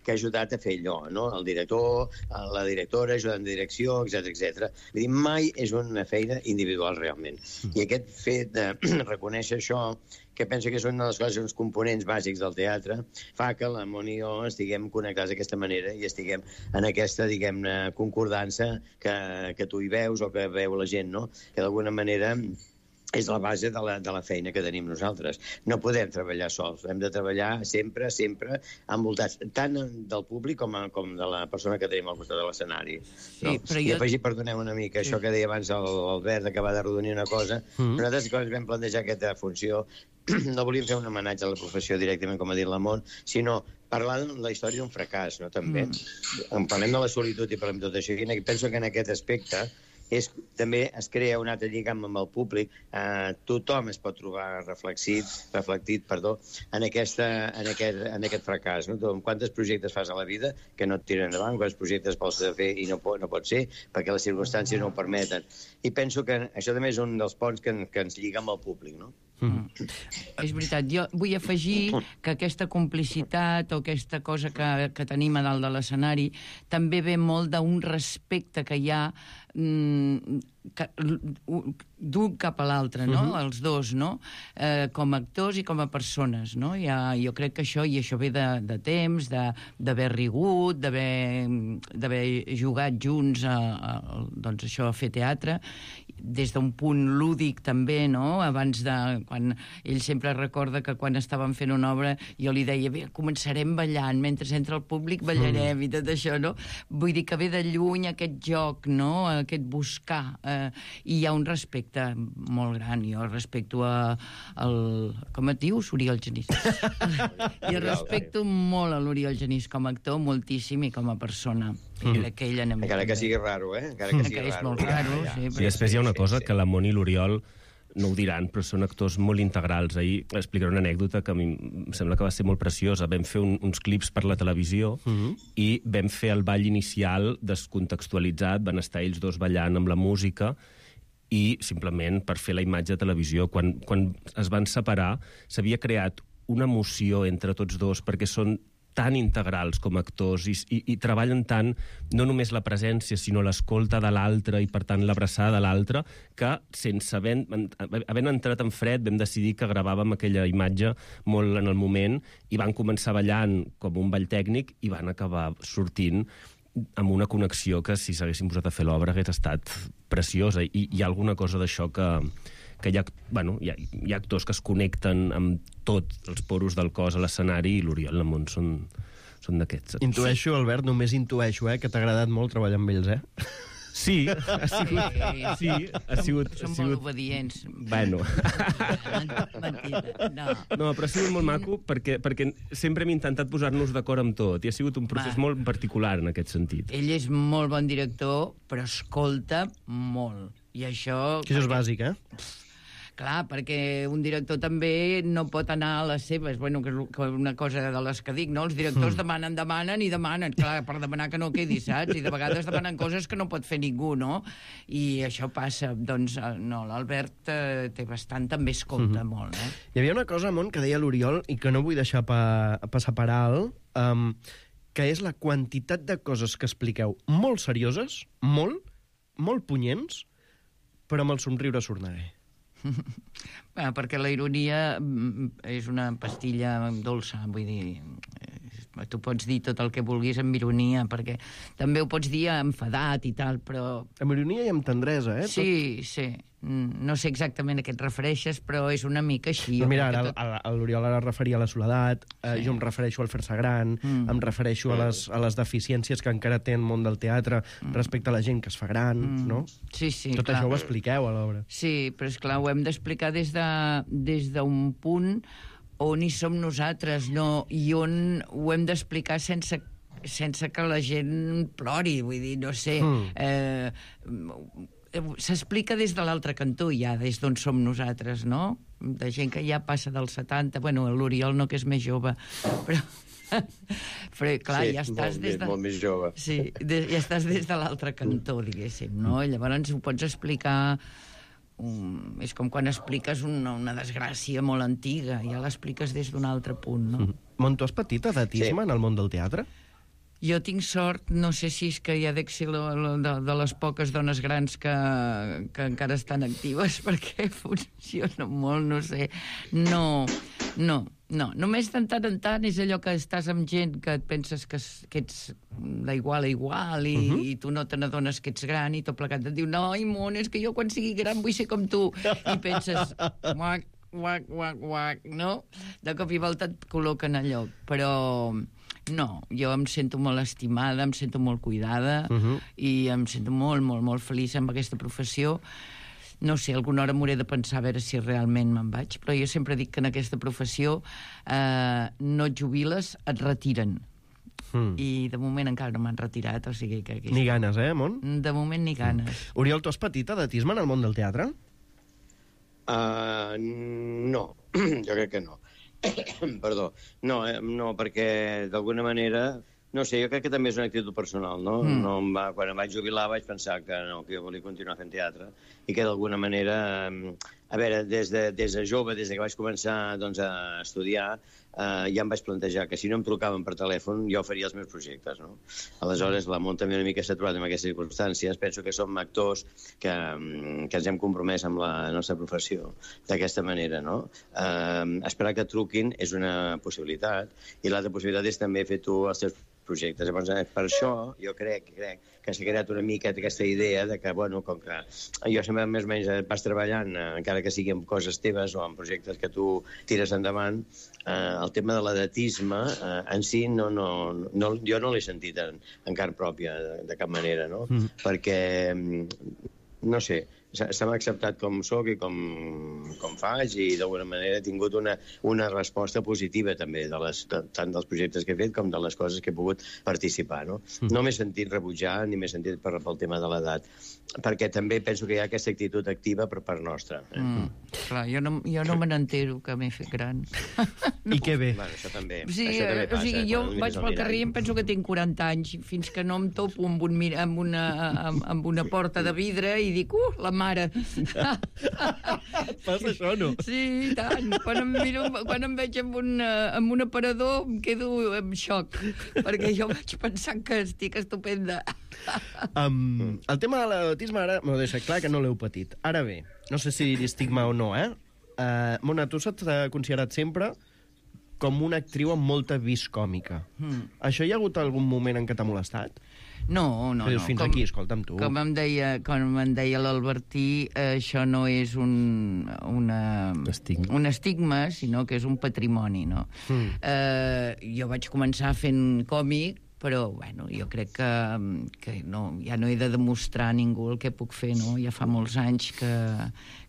que ha ajudat a fer allò, no? El director, la directora, ajudant de direcció, etcètera, etcètera. Vull dir, mai és una feina individual, realment. I aquest fet de reconèixer això, que penso que és una de les coses, uns components bàsics del teatre, fa que la Moni i jo estiguem connectats d'aquesta manera i estiguem en aquesta, diguem-ne, concordança que, que tu hi veus o que veu la gent, no? Que d'alguna manera és la base de la, de la feina que tenim nosaltres. No podem treballar sols, hem de treballar sempre, sempre, envoltats, tant del públic com, a, com de la persona que tenim al costat de l'escenari. Sí, no? però I jo... afegir, perdoneu una mica, sí. Això que deia abans l'Albert, d'acabar de rodonir una cosa, mm-hmm. Nosaltres, quan ens vam plantejar aquesta funció, no volíem fer un homenatge a la professió directament, com ha dit la Mont, sinó parlar de la història d'un fracàs, no? També. Mm. Parlem de la solitud i parlem de tot això, i penso que en aquest aspecte és, també es crea un altre lligam amb el públic. Eh, tothom es pot trobar reflexit, reflectit perdó, en, aquesta, en, aquest, en aquest fracàs. No? Quantes projectes fas a la vida que no et tiren endavant, quants projectes vols fer i no pot, no pot ser perquè les circumstàncies no ho permeten. I penso que això també és un dels ponts que, que ens lliga amb el públic, no? Mm. És veritat, jo vull afegir que aquesta complicitat o aquesta cosa que, que tenim a dalt de l'escenari també ve molt d'un respecte que hi ha mm, d'un cap a l'altre, no? Uh-huh. Els dos, no? Eh, com a actors i com a persones, no? Ja, jo crec que això, i això ve de, de temps, d'haver rigut, d'haver jugat junts a, a, doncs això, a fer teatre, des d'un punt lúdic també, no? Abans de... Quan ell sempre recorda que quan estàvem fent una obra jo li deia, bé, començarem ballant, mentre entra el públic ballarem mm. i tot això, no? Vull dir que ve de lluny aquest joc, no? Aquest buscar. Eh, I hi ha un respecte molt gran. Jo respecto a... El, com et dius? Oriol Genís. Jo respecto molt a l'Oriol Genís com a actor, moltíssim, i com a persona. Mm. I que ell anem... Encara que sigui raro, eh? Encara que sigui raro. És molt raro, sí. I després hi ha una cosa que la Moni i l'Oriol no ho diran, però són actors molt integrals. Ahir explicaré una anècdota que a mi em sembla que va ser molt preciosa. Vam fer un, uns clips per la televisió uh-huh. i vam fer el ball inicial descontextualitzat, van estar ells dos ballant amb la música i simplement per fer la imatge de televisió. Quan, quan es van separar s'havia creat una emoció entre tots dos perquè són tan integrals com a actors i, i, i treballen tant, no només la presència, sinó l'escolta de l'altre i, per tant, l'abraçada de l'altre, que sense haver, havent entrat en fred vam decidir que gravàvem aquella imatge molt en el moment i van començar ballant com un ball tècnic i van acabar sortint amb una connexió que, si s'haguessin posat a fer l'obra, hagués estat preciosa. I hi ha alguna cosa d'això que... que hi ha, bueno, hi, ha, hi ha actors que es connecten amb tots els poros del cos a l'escenari i l'Oriol i la Mont són, són d'aquests. Intueixo, Albert, només intueixo, eh, que t'ha agradat molt treballar amb ells, eh? Sí, ha sigut... Sí, ha sigut... Som ha sigut... molt obedients. Bueno. Mentida, no. No, però ha sigut molt maco perquè, perquè sempre hem intentat posar-nos d'acord amb tot i ha sigut un procés Va. molt particular en aquest sentit. Ell és molt bon director, però escolta molt. I això... Que això és bàsic, eh? Clar, perquè un director també no pot anar a les seves, bueno, que és una cosa de les que dic, no? Els directors mm. demanen, demanen i demanen, clar, per demanar que no quedi, saps? I de vegades demanen coses que no pot fer ningú, no? I això passa, doncs, no, l'Albert eh, té bastant, també escolta mm-hmm. molt, eh? Hi havia una cosa, Mont, que deia l'Oriol, i que no vull deixar pa, passar per alt, um, que és la quantitat de coses que expliqueu molt serioses, molt, molt punyents, però amb el somriure sorneguer. Bé, perquè la ironia és una pastilla dolça, vull dir, tu pots dir tot el que vulguis amb ironia, perquè també ho pots dir enfadat i tal, però... Amb ironia i amb tendresa, eh? Sí, sí. No sé exactament a què et refereixes, però és una mica així. No, mira, ara tot... l'Oriol ara referia a la soledat, sí. eh, jo em refereixo al fer-se gran, mm. em refereixo a les, a les deficiències que encara té el món del teatre mm. respecte a la gent que es fa gran, mm. no? Sí, sí, Tot clar. això ho expliqueu a l'obra. Sí, però esclar, ho hem d'explicar des de, des d'un punt on hi som nosaltres, no? I on ho hem d'explicar sense sense que la gent plori, vull dir, no sé... Mm. Eh, s'explica des de l'altre cantó ja, des d'on som nosaltres, no? De gent que ja passa dels setanta, bueno, l'Oriol no, que és més jove, però... però clar, sí, ja estàs molt, des de... molt més jove. Sí, de, ja estàs des de l'altre cantó, diguéssim, no? Llavors ho pots explicar... Um, és com quan expliques una, una desgràcia molt antiga, ja l'expliques des d'un altre punt, no? Mm. Mont, tu has patit edatisme sí. en el món del teatre? Jo tinc sort, no sé si és que ja dec ser de, de les poques dones grans que, que encara estan actives, perquè funciona molt, no sé. No, no, no. Només de tant en tant és allò que estàs amb gent que et penses que, que ets d'igual a igual i, uh-huh. i tu no te n'adones que ets gran i tot plegat et diu, no, Imon, és que jo quan sigui gran vull ser com tu. I penses, uac, uac, uac, uac, no? De cop i volta et col·loquen a lloc, però... No, jo em sento molt estimada, em sento molt cuidada uh-huh. i em sento molt, molt, molt feliç amb aquesta professió. No sé, alguna hora m'hauré de pensar a veure si realment me'n vaig, però jo sempre dic que en aquesta professió eh, no et jubiles, et retiren. Mm. I de moment encara no m'han retirat, o sigui que... Aquí ni ganes, eh, Mon? De moment ni ganes. Mm. Oriol, tu has patit edatisme en el món del teatre? Uh, no, jo crec que no. Perdó. No, eh, no, perquè d'alguna manera... No sé, jo crec que també és una actitud personal, no? Mm. no em va, quan em vaig jubilar vaig pensar que no, que jo volia continuar fent teatre i que d'alguna manera... A veure, des de, des de jove, des de que vaig començar doncs, a estudiar, eh, ja em vaig plantejar que si no em trucaven per telèfon jo faria els meus projectes, no? Aleshores, la Mont també una mica s'ha trobat en aquestes circumstàncies. Penso que som actors que, que ens hem compromès amb la nostra professió d'aquesta manera, no? Eh, esperar que truquin és una possibilitat i l'altra possibilitat és també fer tu els teus projectes. Llavors, per això, jo crec, crec que s'ha creat una mica aquesta idea de que, bueno, com que jo sempre més o menys vas treballant, eh, encara que sigui amb coses teves o amb projectes que tu tires endavant, eh, el tema de l'edatisme eh, en si no, no, no, jo no l'he sentit en, en carn pròpia de, de cap manera, no? Mm. Perquè, no sé, se m'ha acceptat com soc i com, com faig i d'alguna manera he tingut una, una resposta positiva també de les, de, tant dels projectes que he fet com de les coses que he pogut participar, no? Mm. No m'he sentit rebutjar ni m'he sentit per, pel tema de l'edat, perquè també penso que hi ha aquesta actitud activa per part nostra. Eh? Mm. Clar, jo no, jo no me n'entero que m'he fet gran. No. I què bé. Bueno, això també, sí, això també passa. O sigui, jo quan vaig pel carrer i em penso que tinc quaranta anys, fins que no em topo amb, un, amb, una, amb, amb una porta de vidre i dic, uh, la mare. Passa això, no? Sí, i tant. Quan em, miro, quan em veig amb un, amb un aparador em quedo en xoc, perquè jo vaig pensar que estic estupenda. Um, el tema de l'autisme ara m'ho deixa clar que no l'heu patit. Ara bé, no sé si dir estigma o no, eh? Uh, Mona, tu s'ha considerat sempre com una actriu amb molta vis còmica. Mm. Això hi ha hagut algun moment en què t'ha molestat? No, no, dius, no. Fins com, aquí, escolta'm tu. Com em deia, com em deia l'Albertí, eh, això no és un, una, estigma. un estigma, sinó que és un patrimoni, no? Mm. Eh, jo vaig començar fent còmic, però, bueno, jo crec que, que no, ja no he de demostrar a ningú el que puc fer, no? Ja fa molts anys que,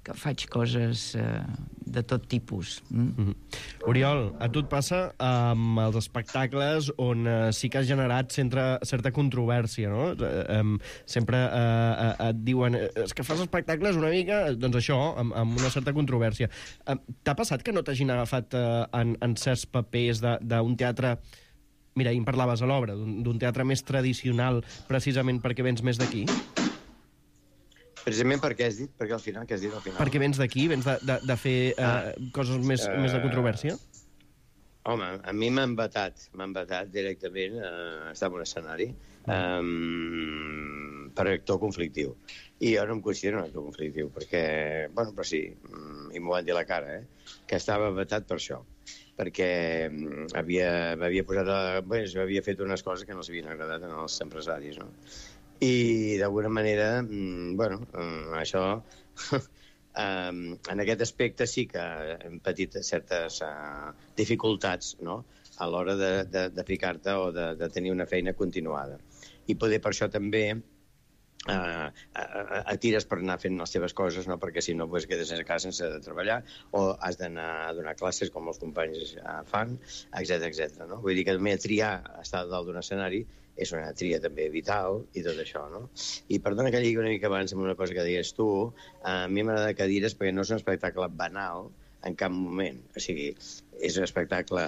que faig coses eh, de tot tipus. Mm? Mm-hmm. Oriol, a tu et passa amb els espectacles on eh, sí que has generat centre, certa controvèrsia, no? Eh, eh, sempre eh, eh, et diuen és que fas espectacles una mica, doncs això, amb, amb una certa controvèrsia. Eh, T'ha passat que no t'hagin agafat eh, en, en certs papers d'un teatre... Mira, ahir em parlaves a l'obra, d'un teatre més tradicional, precisament perquè vens més d'aquí? Precisament perquè has dit, perquè al final, què has dit al final? Perquè vens d'aquí, vens de, de, de fer uh, ah, coses més, uh, més de controvèrsia? Home, a mi m'han vetat, m'han vetat directament a estar en un escenari um, per actor conflictiu. I jo no em considero un actor conflictiu, perquè, bueno, però sí, i m'ho van dir a la cara, eh, que estava vetat per això, perquè havia, havia posat, a, bé, havia fet unes coses que no s'havien agradat als empresaris, no? I d'alguna manera, bueno, això... Um, en aquest aspecte sí que hem patit certes uh, dificultats, no?, a l'hora de, de, de ficar-te o de, de tenir una feina continuada. I poder per això també uh, uh, et tires per anar fent les teves coses, no?, perquè si no pues, quedes a casa sense treballar o has d'anar a donar classes com els companys uh, fan, etcètera, etcètera, no? Vull dir que també triar estar dalt d'un escenari és una tria també vital i tot això, no? I perdona que lligui una mica abans amb una cosa que digues tu, a mi m'agrada que dires perquè no és un espectacle banal en cap moment. O sigui, és un espectacle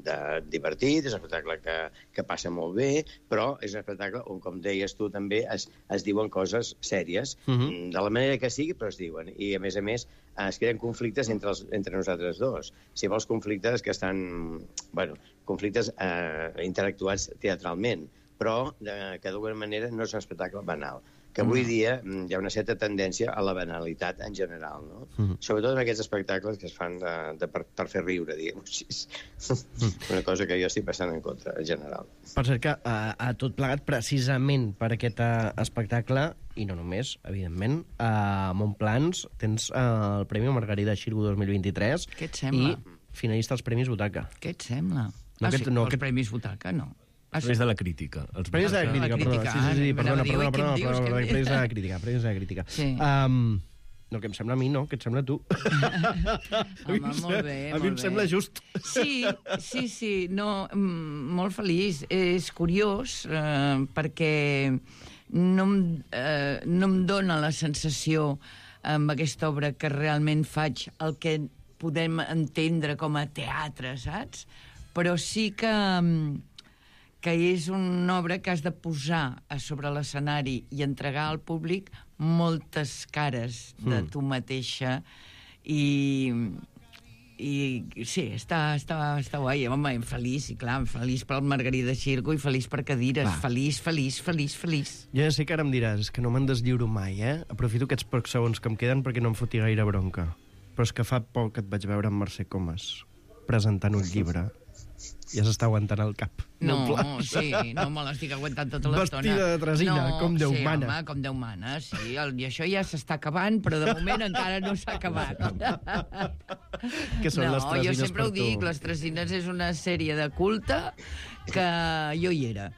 de divertit, és un espectacle que, que passa molt bé, però és un espectacle on, com deies tu, també es, es diuen coses sèries, uh-huh. de la manera que sigui, però es diuen. I, a més a més, es creen conflictes entre, els, entre nosaltres dos. Si vols conflictes que estan... Bueno, conflictes eh, interactuats teatralment, però eh, que d'alguna manera no és un espectacle banal. Que avui dia hi ha una certa tendència a la banalitat en general, no? Mm. Sobretot en aquests espectacles que es fan de, de per, per fer riure, diguem-ho així. Mm. Una cosa que jo estic passant en contra, en general. Per cert que a, a tot plegat, precisament per aquest uh, espectacle, i no només, evidentment, a Montplans tens uh, el Premi Margarida Xirgu dos mil vint-i-tres. Què et sembla? I finalista als Premis Butaca. Què et sembla? No, ah, aquest, sí, no, els aquest... Premis Butaca, no. Els premis de la crítica. Els premis de la crítica, perdona. Sí, sí, sí, perdona, perdona, perdona, perdona, premis de la crítica, premis de la crítica. Sí. Um, No, que em sembla a mi, no, que et sembla a tu. Home, molt bé, a mi em sembla just. Sí, sí, sí, no, molt feliç. És curiós, eh, perquè no em, eh, no em dóna la sensació amb aquesta obra que realment faig el que podem entendre com a teatre, saps? Però sí que, que és una obra que has de posar a sobre l'escenari i entregar al públic moltes cares de Mm. tu mateixa i, i sí, està, està, està guai. Home, feliç, i clar, feliç pel Margarida Xirgo i feliç per cadires. Va. Feliç, feliç, feliç, feliç. Jo ja sé que ara em diràs, és que no me'n deslliuro mai, eh? Aprofito aquests pocs segons que em queden perquè no em foti gaire bronca. Però és que fa poc que et vaig veure amb Mercè Comas presentant un llibre. Ja s'està aguantant el cap. No, Molt sí, no me l'estic aguantant tota l'estona. Vestida de tresina, no, com Déu sí, mana. Home, com Déu mana, sí. El, I això ja s'està acabant, però de moment encara no s'ha acabat. Què són no, les tresines jo sempre per ho dic, tu? les Tresines és una sèrie de culte que jo hi era.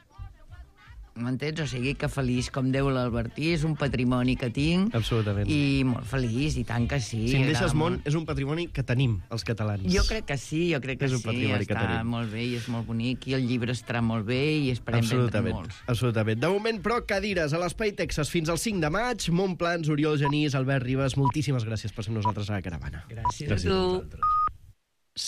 M'entens? O sigui que feliç com Déu l'Albertí, és un patrimoni que tinc. Absolutament. I molt feliç, i tant que sí. Si em deixes agrada món, molt. és un patrimoni que tenim, els catalans. Jo crec que sí, jo crec que És un sí, patrimoni que està tenim. molt bé i és molt bonic, i el llibre estarà molt bé i esperem vendre Absolutament, molts. absolutament. De moment, però, cadires a l'Espai Texas fins al cinc de maig. Montplans, Oriol Genís, Albert Ribas, moltíssimes gràcies per ser amb nosaltres a la caravana. Gràcies, gràcies a tu.